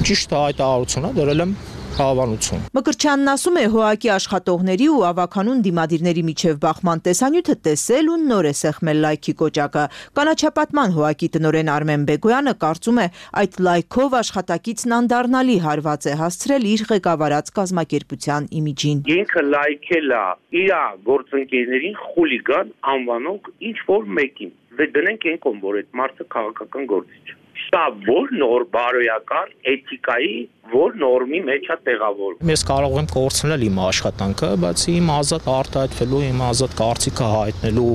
Ճիշտ հայտարարություն է, դրել եմ հավանություն։ Մկրտչյանն ասում է ՀՕԱԿ-ի աշխատողների ու ավականուն դիմադիրների միջև բախման տեսանյութը տեսել ու նոր է սեղմել լայքի կոճակը։ Կանաչապատման ՀՕԱԿ-ի տնօրեն Արմեն Բեգոյանը կարծում է այդ լայքով աշխատակիցն անդառնալի հարված է հասցրել իր ղեկավարած կազմակերպության իմիջին։ Ինքը լայքել է իր գործընկերներին խուլիգան անվանող ինչ որ մեկին։ Դե դնենք այն կողմ, որ այդ մարդը քաղաքական գործիչ է։ Սա որ նոր բարոյական էթիկայի որ նորմի մեջ է տեղավորվում։ Ես կարող եմ կորցնել իմ աշխատանքը, բայց իմ ազատ արտահայտվելու, իմ ազատ կարծիքը հայտնելու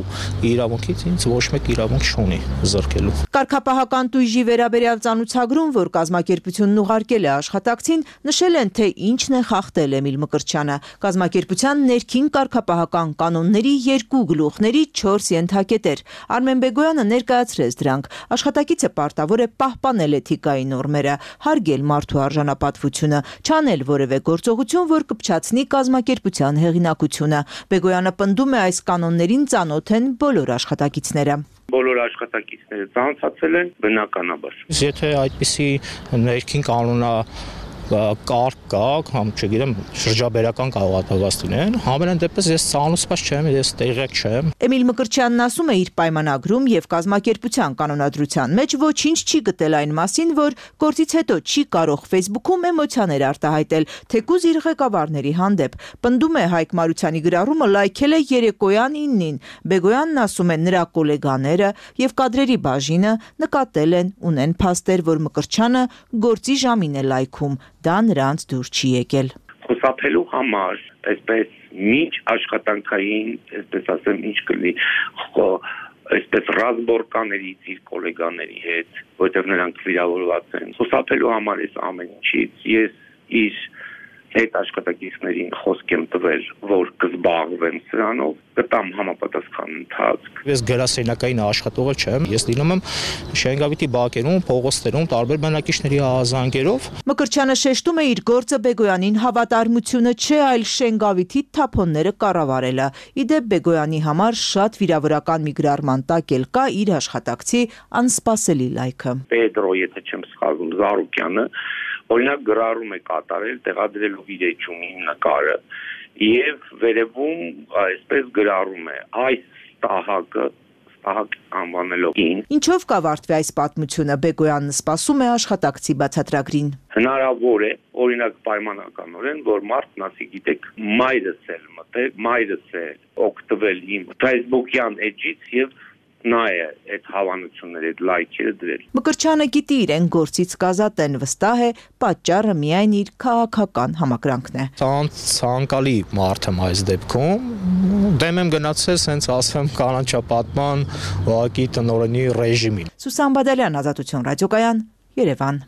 իրավունքից ինձ ոչ մեկ իրավունք չունի զրկելու։ Կարգապահական տույժի վերաբերյալ ծանուցագրում, որ կազմակերպությունն ուղարկել է աշխատակցին, նշել են, թե ինչն է խախտել Էմիլ Մկրտչյանը։ Կազմակերպության ներքին կարգապահական կանոնների 2 գլուխների 4 ենթակետեր։ Արմեն Բեգոյանը ներկայացրեց դրանք։ Աշխատակիցը պարտավոր է պահպանել էթիկայի նորմերը, հարգել մարդու արժանապատվությունը, չանել որևէ գործողություն, որ կփչացնի կազմակերպության հեղինակությունը։ Բեգոյանը պնդում է այս կանոններին ծանոթ են բոլոր աշխատակիցները։ Բոլոր աշխատակիցները ծանոթացել են բնականաբար։ Եթե այդպիսի ներքին կանոնա կարգ կա, կամ չգիտեմ, շրջաբերական կարողատված լինեն, համենայն դեպս ես ծանոթված չեմ, ես տեղյակ չեմ։ Էմիլ Մկրտչյանն ասում է իր պայմանագրում եւ կազմակերպության կանոնադրության մեջ ոչինչ չի գտել այն մասին, որ գործից հետո չի կարող Facebook-ում էմոցիաներ արտահայտել, թեկուզ իր ղեկավարների հանդեպ։ Պնդում է Հայկ Մարությանի գրառումը լայքել է երեկոյան 9-ին։ Բեգոյանն ասում է նրա գոլեգաները եւ կադրերի բաժինը նկատել են, ունեն փաստեր, որ Մկրտչյանը գործի ժամին է լայքում։ Դա նրանց դուր չի եկել։ Խուսափելու համար, այսպես միջ աշխատանքային, այսպես ասեմ, ինչ կլինի, այսպես ռազմորկաներից իր գոլեգաների հետ, որտեղ նրանք վիրավորված են։ Խուսափելու համար այս ամեն ինչից ես իր հետ աշխատակիցներին խոսք եմ տվել, որ կզբաղվեն սրանով, կտամ համապատասխան ընթացք։ Ես գրասենյակային աշխատողը չեմ, ես լինում եմ Շենգավիթի բակերում, փողոցներում, տարբեր բնակիչների ահազանգերով։ Մկրտչյանը շեշտում է իր գործը Բեգոյանին հավատարմությունը չէ, այլ Շենգավիթի թափոնները կառավարելը։ Իդեպ Բեգոյանի համար շատ վիրավորական մի գրառման տակ էլ կա իր աշխատակցի անսպասելի լայքը։ Պետրո, եթե չեմ սխալվում, Զարուկյանը օրինակ գրառում է կատարել տեղադրելով իր էջումի նկարը եւ վերևում այսպես գրառում է այս ստահակ անվանելով ին։ Ինչով կավարտվի այս պատմությունը, Բեգոյանն սպասում է աշխատակցի բացատրագրին։ Հնարավոր է օրինակ պայմանականորեն, որ մարդն ասի, գիտեք, մայրս էլ մտել, մայրս է օգտվել իմ Facebook-յան էջից եւ նա է այդ հավանությունները, այդ լայքերը դրել։ Մկրտչյանը գիտի իրեն գործից կազատեն, վստահ է, պատճառը միայն իր քաղաքական համակրանքն է։ Ցանկալի մարդ եմ այս դեպքում, դեմ եմ գնացել, հենց ասեմ, կանաչապատման ՀՕԱԿ-ի տնօրենի ռեժիմին։ Սուսան Բադալյան, Ազատություն ռադիոկայան, Երևան։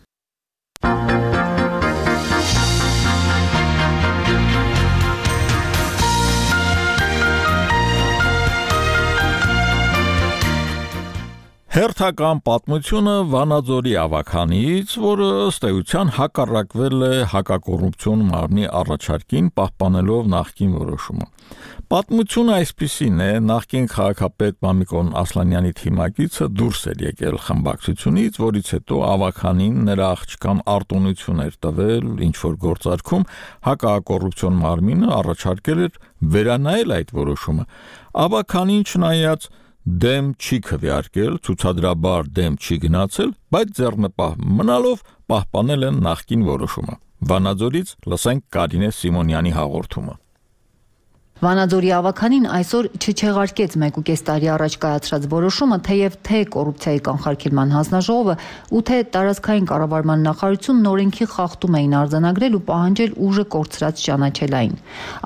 Հերթական պատմությունը Վանաձորի ավականից, որը ըստ էության հակառակվել է հակակոռուպցիոն մարմնի առաջարկին, պահպանելով նախկին որոշումը։ Պատմությունը այսպիսին է, նախկին քաղաքապետ Մամիկոն Ասլանյանի թիմակիցը դուրս էր եկել խմբակցությունից, որից հետո ավականին նրա աղջկան արտոնություն էր տվել, ինչ որ գործարքում հակակոռուպցիոն մարմինը առաջարկել էր վերանայել այդ որոշումը։ Ավականին չնայած դեմ չի քվեարկել, ցուցադրաբար դեմ չի գնացել, բայց ձեռնպահ մնալով պահպանել են նախկին որոշումը։ Վանաձորից լսենք Կարինե Սիմոնյանի հաղորդումը։ Վանաձորի ավականին այսօր չչեղարկեց 1.5 տարի առաջ կայացրած որոշումը, թեև թե կոռուպցիայի կանխարգելման հանձնաժողովը ու թե տարածքային կառավարման նախարարությունն օրենքի խախտում էին արձանագրել ու պահանջել ուժը կորցրած ճանաչել այն։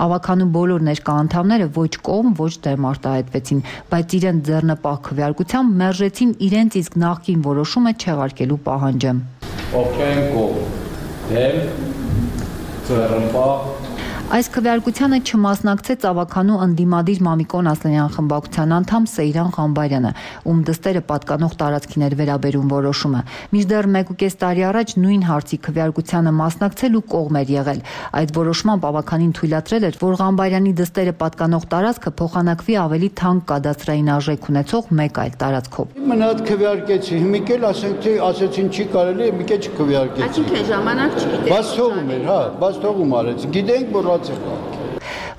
Ավականու բոլոր ներկա անդամները ոչ կողմ, ոչ դեմ արտահայտվեցին, բայց իրենց ձեռնպահ քվեարկությամբ մերժեցին իրենց իսկ նախկին որոշումը չեղարկելու պահանջը։ Ովքեր կողմ, դեմ, ձեռնպահ Այս քվեարկությանը չմասնակցեց ավականու ընդդիմադիր Մամիկոն Ասլանյան խմբակցության անդամ Սեյրան Ղամբարյանը, ում դստերը պատկանող տարածքին էր վերաբերում որոշումը։ Մինչդեռ 1.5 տարի առաջ նույն հարցի քվեարկությանը մասնակցել ու կողմ էր եղել։ Այդ որոշմամբ ավականին թույլատրել էր, որ Ղամբարյանի դստերը պատկանող տարածքը փոխանակվի ավելի թանկ կադաստրային արժեք ունեցող մեկ այլ տարածքով։ Մնաց քվեարկեցի, հիմիկ էլ ասեցին չի կարելի, հիմիկ էլ չքվեարկեցի։ Այսինքն ժամանակ չգիտեք։ Բաց թողում էր, հա, բաց թողում արեց։ Գիտենք, որ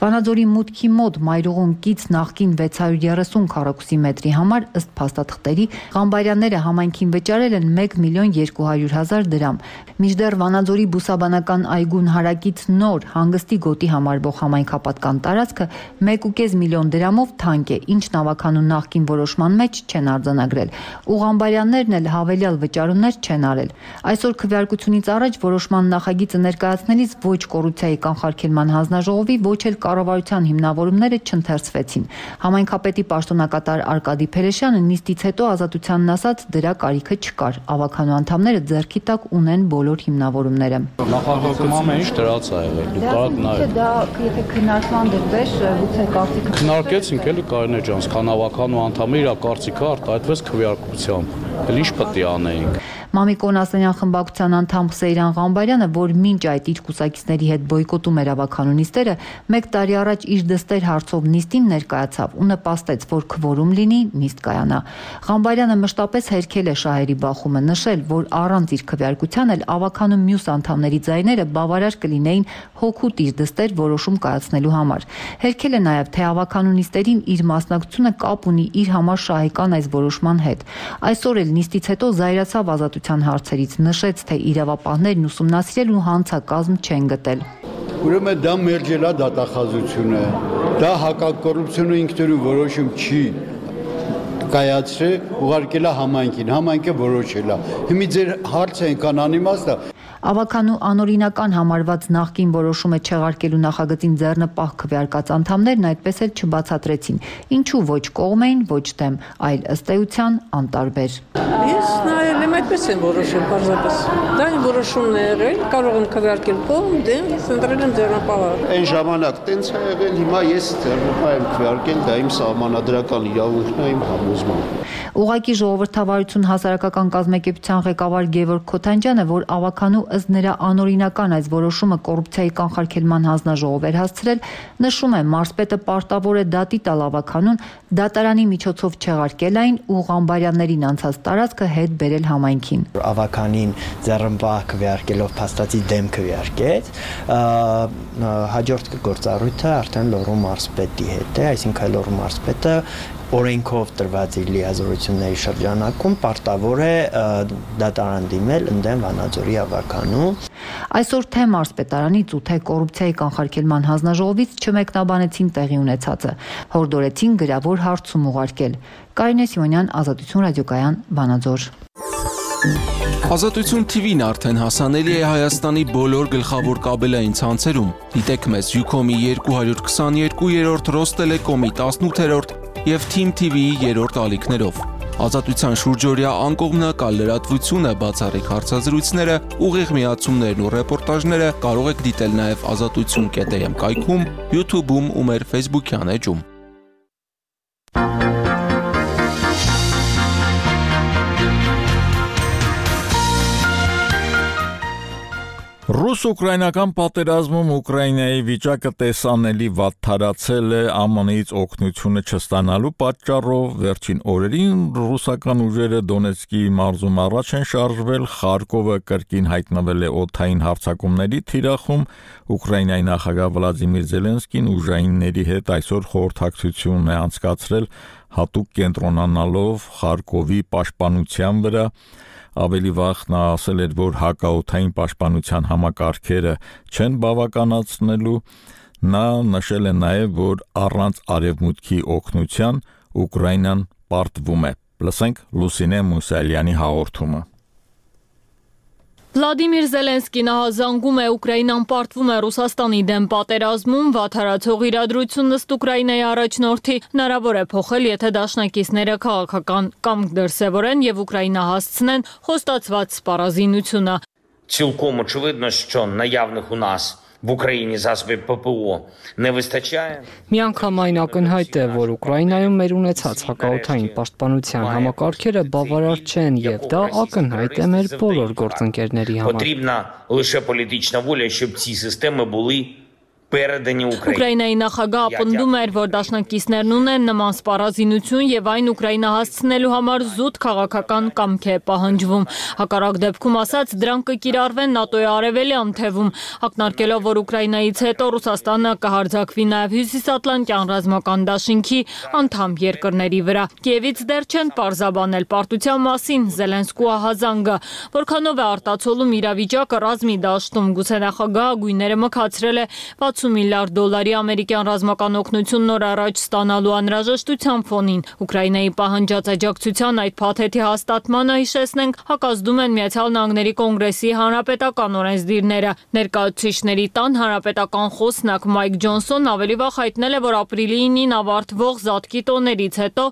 Վանաձորի մուտքի մոտ Մայրուղուն կից նախկին 630 քառակուսի մետրի համար ըստ փաստաթղթերի Ղամբարյանները համայնքին վճարել են 1.200.000 դրամ։ Մինչդեռ Վանաձորի բուսաբանական այգուն հարակից նոր հանգստի գոտի համարվող համայնքապատկան տարածքը 1.5 միլիոն դրամով թանկ է, ինչն ավականու նախկին որոշման մեջ չեն արձանագրել։ Ու Ղամբարյաններն էլ հավելյալ վճարումներ չեն արել։ Այսօր քվեարկությունից առաջ որոշման նախագիծը ներկայացնելիս ոչ կոռուպցիայի կանխարգելման հանձնաժողովի, ոչ էլ կառավարության հիմնավորումները չընթերցվեցին։ Համայնքապետի պաշտոնակատար Արկադի Փելեշյանը նիստից հետո Ազատությանն ասաց, դրա կարիքը չկար։ Ավականու անդամները ձեռքի տակ ունեն բոլոր հիմնավորումները։ Նախագծում ամեն ինչ դրած է եղել։ Դու կարող նայել։ Դա եթե քննարկման դրվեր, գուցե կարծիքը քննարկեցինք էլի Կարինե ջան, քան ավականու անդամը իր կարծիքը արտահայտվեց քվեարկությամբ։ Էլ ինչ պետք է անեինք։ Մամիկոն Ասլանյան խմբակցության անդամ Սեյրան Ղամբարյանը, որ մինչ այդ իր կուսակիցների հետ բոյկոտում էր ավականու նիստերը, 1 տարի առաջ իր դստեր հարցով նիստին ներկայացավ ու նպաստեց, որ քվորում լինի, նիստ կայանա։ Ղամբարյանը մշտապես հերքել է շահերի բախումը, նշել, որ առանց իր քվեարկության էլ ավականու մյուս անդամների ձայները բավարար կլինեին հոգուտ իր դստեր որոշում կայացնելու համար։ Հերքել է նաև, թե ավականու նիստերին իր մասնակցությունը կապ ունի իր համար շահեկան այս որոշման հետ։ Այսօր էլ նիստից հետո զայրացավ Ազատության հարցերից, նշեց, թե իրավապահներն ուսումնասիրել ու հանցակազմ չեն գտել։ Ուրեմն դա մերժելա դատախազությունը, դա հակակոռուպցիոն ինքնուրույն որոշում չի կայացրել, ուղարկելա համայնքին, համայնքը որոշել է։ Հիմա ձեր հարցը այնքան անիմաստ է։ Ավականու անօրինական համարված նախկին որոշումը չեղարկելու նախագծին ձեռնպահ քվեարկած անդամներն այդպես էլ չբացատրեցին, ինչու ոչ կողմ էին, ոչ դեմ, այլ ըստ էության անտարբեր։ Ես նայել եմ այդպես եմ որոշում, պարզապես։ Դա այն որոշումն է եղել, կարող եմ քվեարկել կողմ, դեմ, ես ընտրել եմ ձեռնպահը։ Այն ժամանակ տենց է եղել, հիմա ես ձեռնպահ եմ քվեարկել, դա իմ սահմանադրական իրավունքն է, իմ համոզմունքը։ Ուղղակի ժողովրդավարություն հասարակական կազմակերպության ղեկավար Գևորգ Քոթանջյանը, որ ավականու ըստ նրա անօրինական այս որոշումը կոռուպցիայի կանխարգելման հանձնաժողով էր հասցրել, նշում է, մարզպետը պարտավոր է դատի տալ ավականուն, դատարանի միջոցով չեղարկել այն ու Ղամբարյաններին անցած տարածքը հետ բերել համայնքին։ Ավականին ձեռնպահ քվեարկելով փաստացի դեմ քվեարկեց, հաջորդ գործառույթը արդեն Լոռու մարզպետի հետ է, այսինքն Լոռու մարզպետը օրենքով տրված իր լիազորությունների շրջանակում պարտավոր է դատարան դիմել ընդդեմ Վանաձորի ավականու։ Այսօր թե մարզպետարանից ու թե կոռուպցիայի կանխարգելման հանձնաժողովից չմեկնաբանեցին տեղի ունեցածը, հորդորեցին գրավոր հարցում ուղարկել։ Կարինե Սիմոնյան, Ազատություն ռադիոկայան, Վանաձոր։ Ազատություն TV-ն արդեն հասանելի է Հայաստանի բոլոր գլխավոր կաբելային ցանցերում։ Դիտեք մեզ Ucom-ի 222-րդ, Ռոստելեկոմի 18-րդ և Team TV-ի 3-րդ ալիքներով։ Ազատության շուրջօրյա անկողմնակալ լրատվությունը, բացառիկ հարցազրույցները, ուղիղ միացումներն ու ռեպորտաժները կարող եք դիտել նաև azatutsun.am կայքում, YouTube-ում ու մեր Facebook-յան էջում։ Ռուս-ուկրաինական պատերազմում Ուկրաինայի վիճակը տեսանելի վատթարացել է ԱՄՆ-ից օգնությունը չստանալու պատճառով վերջին օրերին ռուսական ուժերը Դոնեցկի մարզում առաջ են շարժվել, Խարկովը կրկին հայտնվել է օդային հարձակումների թիրախում, Ուկրաինայի նախագահ Վլադիմիր Զելենսկին ուժայինների հետ այսօր խորհրդակցություն է անցկացրել հատուկ կենտրոնանալով Խարկովի պաշտպանության վրա Ավելի վաղ նա ասել էր, որ հակաօդային պաշտպանության համակարգերը չեն բավականացնելու, նա նշել է նաև, որ առանց արևմուտքի օգնության Ուկրաինան պարտվում է։ Լսենք Լուսինե Մուսալյանի հաղորդումը։ Վլադիմիր Զելենսկին հազանգում է Ուկրաինան պարտվում է Ռուսաստանի դեմ պատերազմում, վատթարացող իրադրությունն ըստ Ուկրաինայի առաջնորդի հնարավոր է փոխել, եթե դաշնակիցները քաղաքական կամք դրսևորեն եւ Ուկրաինա հասցնեն խոստացված սպառազինությունը։ Цілком очевидно, що наявних у нас в Україні засобів ППО не вистачає. Միանգամայն ակնհայտ է, որ Ուկրաինայում մեր ունեցած հակաօդային պաշտպանության համակարգերը բավարար չեն եւ դա ակնհայտ է մեր բոլոր գործընկերների համար։ Потрібна лише політична воля, щоб ці системи були передані Україні. Ուկրաինայի նախագահը ապնդում էր, որ դաշնակիցներն ունեն նման սպառազինություն եւ այն Ուկրաինա հասցնելու համար զուտ քաղաքական կամք է պահանջվում։ Հակառակ դեպքում ասած, դրանք կկիրառվեն ՆԱՏՕ-ի արևելյան թևում, ակնարկելով, որ Ուկրաինայից հետո Ռուսաստանը կհարձակվի նաեւ Հյուսիսատլանտյան ռազմական դաշինքի անդամ երկրների վրա։ Կիևից դեռ չեն պարզաբանել պարտության մասին Զելենսկու հազանգը, որքանով է արտացոլում իրավիճակը ռազմի դաշտում։ Գուցե նախագահը գույները մքացրել է 60 միլիարդ դոլարի ամերիկյան ռազմական օգնություն նոր առաջ ստանալու անհրաժեշտության ֆոնին։ Ուկրաինայի պահանջած աջակցության այդ փաթեթի հաստատմանը հիշեցնենք հակազդում են Միացյալ Նահանգների կոնգրեսի հանրապետական օրենսդիրները։ Ներկայացուցիչների տան հանրապետական խոսնակ Մայք Ջոնսոնն ավելի վաղ հայտնել է, որ ապրիլի 9-ին ավարտվող զատկի տոներից հետո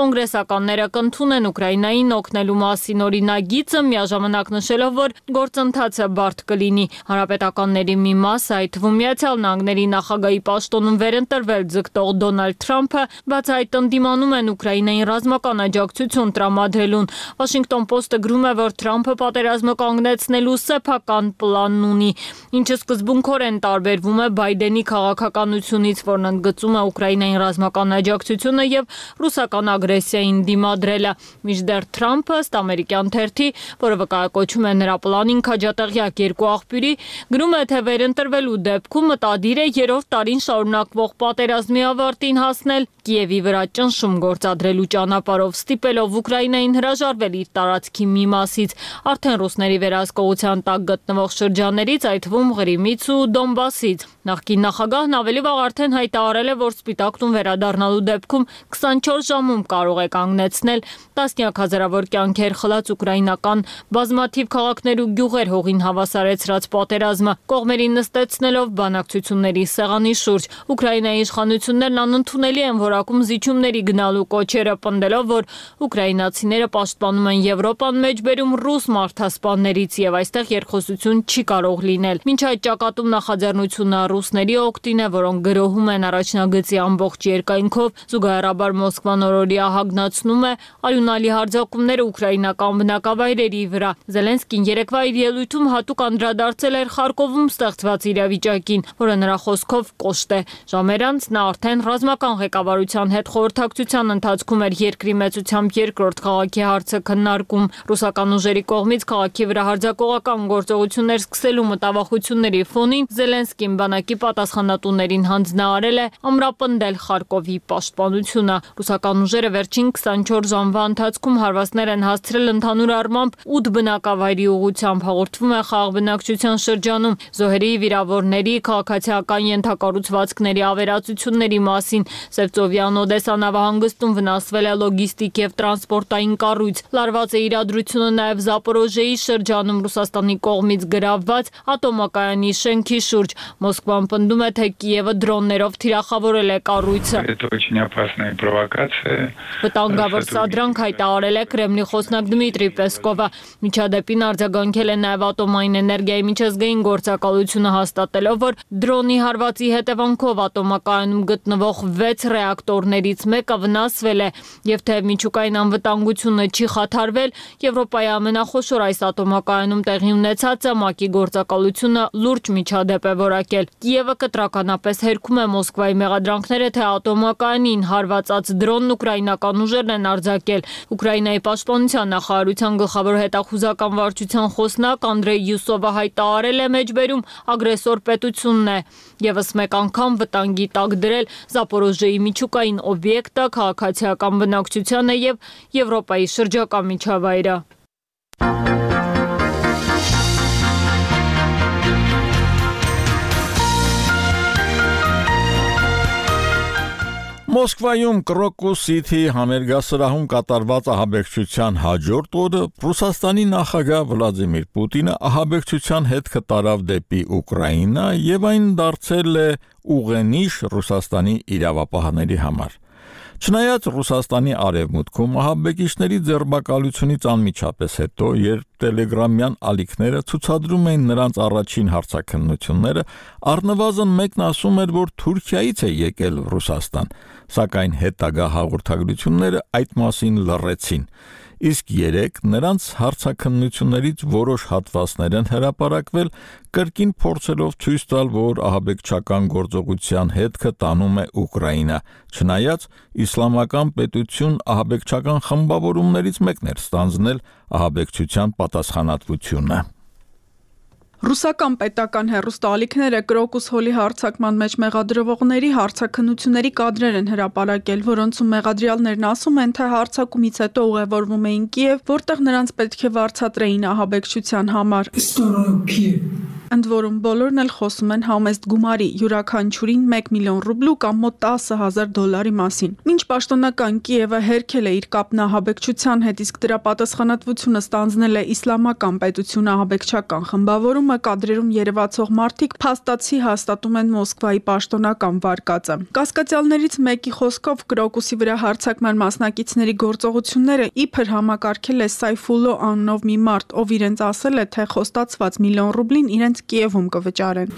կոնգրեսականները կընդունեն Ուկրաինային օգնելու մասին օրինագիծը, միաժամանակ նշելով, որ գործընթացը բարդ կլինի։ Հանրապետականների մի մասը, այդ թվում Միացյալ Նահանգների նախագահի պաշտոնում վերընտրվել ձգտող Դոնալդ Թրամփը բացահայտ ընդդիմանում են Ուկրաինային ռազմական աջակցություն տրամադրելուն։ Washington Post-ը գրում է, որ Թրամփը պատերազմը կանգնեցնելու սեփական պլան ունի, ինչը սկզբունքորեն տարբերվում է Բայդենի քաղաքականությունից, որն ընդգծում է Ուկրաինային ռազմական աջակցությունը եւ ռուսական ագրեսիային դիմադրելը։ Մինչդեռ Թրամփը ըստ ամերիկյան թերթի, որը վկայակոչում է նրա պլանին քաջատեղյակ երկու աղբյուրի, գրում է, թե վերընտրվելու դեպքում մտադիր է երրորդ տարին շարունակվող պատերազմի ավարտին հասնել Կիևի վրա ճնշում գործադրելու ճանապարհով, ստիպելով Ուկրաինային հրաժարվել իր տարածքի մի մասից, արդեն ռուսների վերահսկողության տակ գտնվող շրջաններից, այդ թվում Ղրիմից ու Դոնբասից։ Նախկին նախագահն ավելի վաղ արդեն հայտարարել է, որ Սպիտակ տուն վերադառնալու դեպքում 24 ժամում կարող է կանգնեցնել տասնյակ հազարավոր կյանքեր խլած ուկրաինական բազմաթիվ քաղաքներ ու գյուղեր հողին հավասարեցրած պատերազմը, կողմերին նստեցնելով բանակցությունների սեղանի շուրջ։ Ուկրաինայի իշխանություններն անընդունելի են որակում զիջումների գնալու կոչերը, պնդելով, որ ուկրաինացիները պաշտպանում են Եվրոպան մեջբերում ռուս մարդասպաններից եւ այստեղ երկխոսություն չի կարող լինել։ Մինչ այդ ճակատում նախաձեռնությունը ռուսների օգտին է, որոնք գրոհում են առաջնագծի ամբողջ երկայնքով, զուգահեռաբար Մոսկվան օրորիա հագնացնում է արյունալի հարձակումները ուկրաինական բնակավայրերի վրա։ Զելենսկին երեկվա իր ելույթում հատուկ անդրադարձել էր Խարկովում ստեղծված իրավիճակին, որը նրա խոսքով կոշտ է։ Ժամեր անց նա արդեն ռազմական ղեկավարության հետ խորհրդակցության ընթացքում էր երկրի մեծությամբ երկրորդ քաղաքի հարցը քննարկում։ Ռուսական ուժերի կողմից քաղաքի վրա հարձակողական գործողություններ սկսելու մտավախությունների ֆոնին Զելենսկին բանակի պատասխանատուներին հանձնարարել է ամրապնդել Խարկովի պաշտպանությունը։ Ռուսական ուժերը վերջին 24 ժամվա ընթացքում հարվածներ են հասցրել ընդհանուր առմամբ 8 բնակավայրի ուղղությամբ, հաղորդվում է խաղաղ բնակչության շրջանում, զոհերի, վիրավորների, քաղաքացիական ենթակառուցվածքների ավերածությունների մասին։ Սևծովյան Օդեսա նավահանգստում վնասվել է լոգիստիկ եւ տրանսպորտային կառույց։ Լարված է իրադրությունը նաեւ Զապորոժեի շրջանում Ռուսաստանի կողմից գրավված ատոմակայանի շենքի շուրջ։ Մոսկվան պնդում է, թե Կիևը դրոններով թիրախավորել է կառույցը։ Վտանգավոր սադրանք հայտարարել է Կրեմլի խոսնակ Դմիտրի Պեսկովը։ Միջադեպին արձագանքել է նաեւ ատոմային էներգիայի միջազգային գործակալությունը, հաստատելով, որ դրոն Քերսոնի հարվածի հետևանքով ատոմակայանում գտնվող 6 ռեակտորներից մեկը վնասվել է, եւ թեև միջուկային անվտանգությունը չի խաթարվել, Եվրոպայի ամենախոշոր այս ատոմակայանում տեղի ունեցածը ՄԱԿ-ի գործակալությունը լուրջ միջադեպ է որակել։ Կիևը կտրականապես հերքում է Մոսկվայի մեղադրանքները, թե ատոմակայանին հարվածած դրոնն ուկրաինական ուժերն են արձակել։ Ուկրաինայի պաշտպանության նախարարության գլխավոր հետախուզական վարչության խոսնակ Անդրեյ Յուսովը հայտարարել է մեջբերում ագրեսոր պետությունն է եւս մեկ անգամ վտանգի տակ դրել Զապորոժիեի միջուկային օբյեկտը, քաղաքացիական բնակչությանը եւ Եվրոպայի շրջակա միջավայրը։ Մոսկվայում Crocus City համերգասրահում կատարված ահաբեկչության հաջորդ օրը Ռուսաստանի նախագահ Վլադիմիր Պուտինը ահաբեկչության հետ կտարավ դեպի Ուկրաինա եւ այն դարձել է ուղենիշ Ռուսաստանի իրավապահների համար։ Չնայած Ռուսաստանի արևմուտքում ահաբեկիչների ձերբակալությունից անմիջապես հետո, երբ տելեգրամյան ալիքները ցուցադրում էին նրանց առաջին հարցաքննությունները, առնվազն մեկն ասում էր, որ Թուրքիայից է եկել Ռուսաստան, սակայն հետագա հաղորդագրությունները այդ մասին լռեցին։ Իսկ երեք նրանց հարցաքննություններից որոշ հատվածներ են հրապարակվել, կրկին փորձելով ցույց տալ, որ ահաբեկչական գործողության հետքը տանում է Ուկրաինա, չնայած իսլամական պետություն ահաբեկչական խմբավորումներից մեկն էր ստանձնել ահաբեկչության պատասխանատվությունը։ Ռուսական պետական հեռուստաալիքները Crocus Hall-ի հարձակման մեջ մեղադրվողների հարցաքննությունների կադրեր են հրապարակել, որոնցում մեղադրյալներն ասում են, թե հարձակումից հետո ուղևորվում էին Կիև, որտեղ նրանց պետք է վարձատրեին ահաբեկչության համար։ Ընդ որում բոլորն էլ խոսում են համեստ գումարի, յուրաքանչյուրին 1 միլիոն ռուբլու կամ մոտ $10,000 մասին։ Մինչ պաշտոնական Կիևը հերքել է իր կապն ահաբեկչության հետ, իսկ դրա պատասխանատվությունը ստանձնել է իսլամական պետություն ահաբեկչական խմբավորումը, կադրերում երևացող մարդիկ փաստացի հաստատում են Մոսկվայի պաշտոնական վարկածը։ Կասկածյալներից մեկի խոսքով Crocus-ի վրա հարձակման մասնակիցների գործողությունները իբր համակարգել է Սայֆուլո անունով մի մարդ, ով իրենց ասել է, թե խոստացված միլիոն ռուբլին իրենց Կիևում կվճարեն։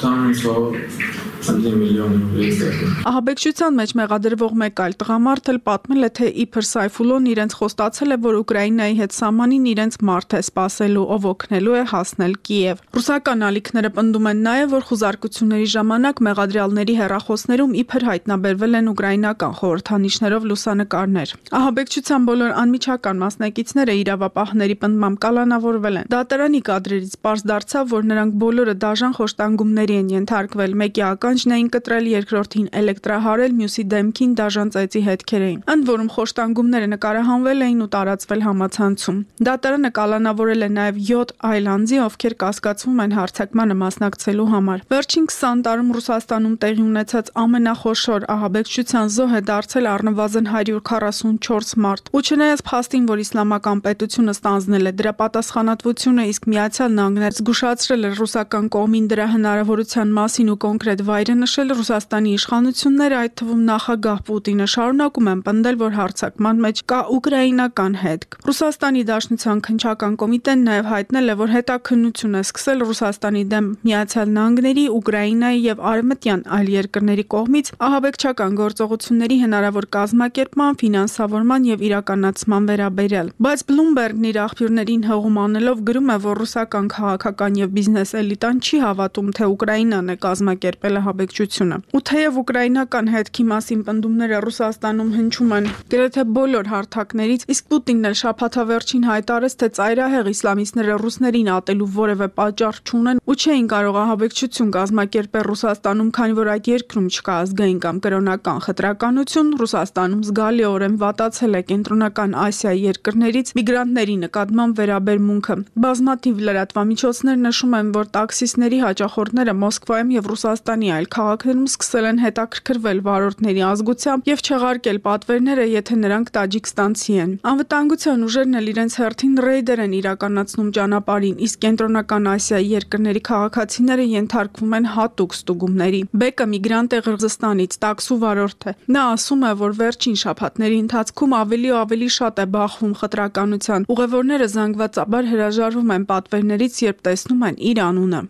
Ահաբեկչության մեջ մեղադրվող մեկ այլ տղամարդ էլ պատմել է, թե իբր Սայֆուլոն իրենց խոստացել է, որ Ուկրաինայի հետ սահմանին իրենց մարդ է սպասելու, ով օգնելու է հասնել Կիև։ Ռուսական ալիքները պնդում են նաև, որ խուզարկությունների ժամանակ մեղադրյալների հեռախոսներում իբր հայտնաբերվել են ուկրաինական խորհրդանիշներով լուսանկարներ։ Ահաբեկչության բոլոր անմիջական մասնակիցները իրավապահների պնդմամբ կալանավորվել են։ Դատարանի կադրերից պարզ դարձավ, որ նրանք բոլորը դաժան խոշտանգումների են ենթարկվել, մեկի ականջն էին կտրել, երկրորդին էլեկտրահարել, մյուսի դեմքին դաժան ծեծի հետքեր էին։ Ընդ որում խոշտանգումները նկարահանվել էին ու տարածվել համացանցում։ Դատարանը կալանավորել է նաև 7 այլ անձի, ովքեր կասկածվում են հարձակմանը մասնակցելու համար։ Վերջին 20 տարում Ռուսաստանում տեղի ունեցած ամենախոշոր ահաբեկչության զոհ է դարձել առնվազն 144 մարդ։ Ու չնայած փաստին, որ իսլամական պետությունը ստանձնել է դրա պատասխանատվությունը, իսկ Միացյալ Նահանգները զգուշացրել է ռուսական կողմին դրա հնարավորության մասին ու կոնկրետ վայրը նշել, Ռուսաստանի իշխանությունները, այդ թվում նախագահ Պուտինը, շարունակում են պնդել, որ հարձակման մեջ կա ուկրաինական հետք։ Ռուսաստանի Դաշնության քննչական կոմիտեն նաև հայտնել է, որ հետաքննություն է սկսել Ռուսաստանի դեմ Միացյալ Նահանգների, Ուկրաինայի եւ արևմտյան այլ երկրների կողմից ահաբեկչական գործողությունների հնարավոր կազմակերպման, ֆինանսավորման եւ իրականացման վերաբերյալ։ Բայց Bloomberg-ն իր աղբյուրներին հողում անելով գրում է, որ ռուսական քաղաքական եւ բիզնես էլիտան չի հավատում, թե Ուկրաինան է կազմակերպել ահաբեկչությունը։ Ու թեև ուկրաինական հետքի մասին պնդումները Ռուսաստանում հնչում են գրեթե բոլոր հարթակներից, իսկ Պուտինն էլ շաբաթավերջին հայտարարեց, թե ծայրահեղ իսլամիստները ռուսներին ատելու որևէ պատճառ չունեն ու չէին կարող ահաբեկչություն կազմակերպել Ռուսաստանում, քանի որ այդ երկրում չկա ազգային կամ կրոնական խտրականություն, Ռուսաստանում զգալիորեն վատացել է կենտրոնական Ասիայի երկրներից միգրանտների նկատմամբ վերաբերմունքը։ Բազմաթիվ լրատվամիջոցներ նշում են, որ տաքսիստների հաճախորդները Մոսկվայում եւ Ռուսաստանի այլ քաղաքներում սկսել են հետաքրքրվել վարորդների ազգությամբ եւ չեղարկել պատվերները, եթե նրանք տաջիկստանցի են։ Անվտանգության ուժերն էլ իրենց հերթին ռեյդեր են իրականացնում ճանապարհին, իսկ կենտրոնական Ասիայի երկրների քաղաքացիները ենթարկվում են հատուկ ստուգումների։ Բեկը միգրանտ է Ղրղզստանից, տաքսու վարորդ է։ Նա ասում է, որ վերջին շաբաթների ընթացքում ավելի ու ավելի շատ է բախվում խտրականության։ Ուղևորները զանգվածաբար հրաժարվում են պատվերներից, երբ տեսնում են իր անունը։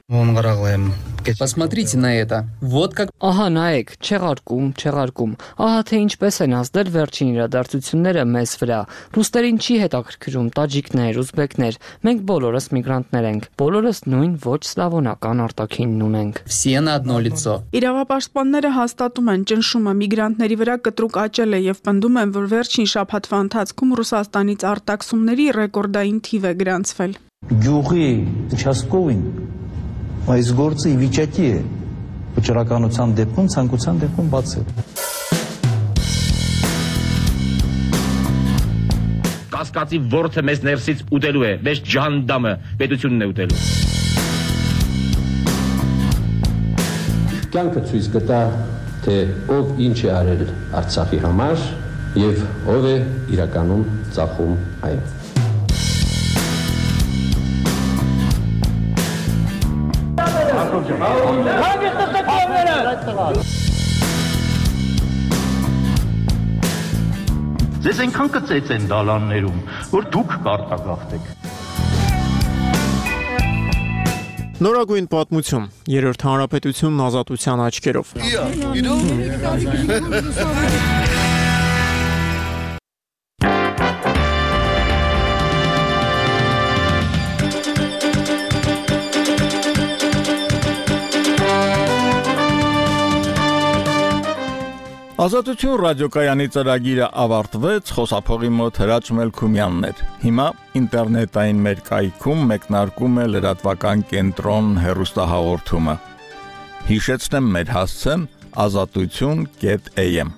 Посмотрите на это. Вот как. Ահա նայեք, չեղարկում։ Ահա թե ինչպես են ազդել վերջին իրադարձությունները մեզ վրա։ Ռուսներին չի հետաքրքրում տաջիկներ, ուզբեկներ։ Մենք բոլորս միգրանտներ ենք։ Բոլորս նույն ոչ սլավոնական արտաքինն ունենք։ Все на одно лицо. Իրավապաշտպանները հաստատում են ճնշումը միգրանտների վրա կտրուկ աճել է եւ պնդում են, որ վերջին շաբաթվա ընթացքում Ռուսաստանից արտաքսումների ռեկորդային թիվ է գրանցվել։ Գյուղի участковին այս գործը ի վիճակի է վճռականության դեպքում, ցանկության դեպքում բացել։ Կասկածի ворթը մեզ ներսից ուտելու է, մեզ ջանդամը պետությունն է ուտելու։ Կյանքը ցույց կտա, թե ով ինչ է արել Արցախի համար եւ ով է իրականում ծախում այն։ Ձեզ այնքան կծեց են դալաններում, որ դուք կարտագաղթեք։ Նորագույն պատմություն, երրորդ հանրապետությունն ազատության աչքերով։ Ազատություն ռադիոկայանի ծրագիրը ավարտվեց, խոսափողի մոտ Հրաչ Մելքումյանն էր։ Հիմա ինտերնետային մեր կայքում մեկնարկում է լրատվական կենտրոն հեռուստահաղորդումը։ Հիշեցնեմ մեր հասցեն azatutun.am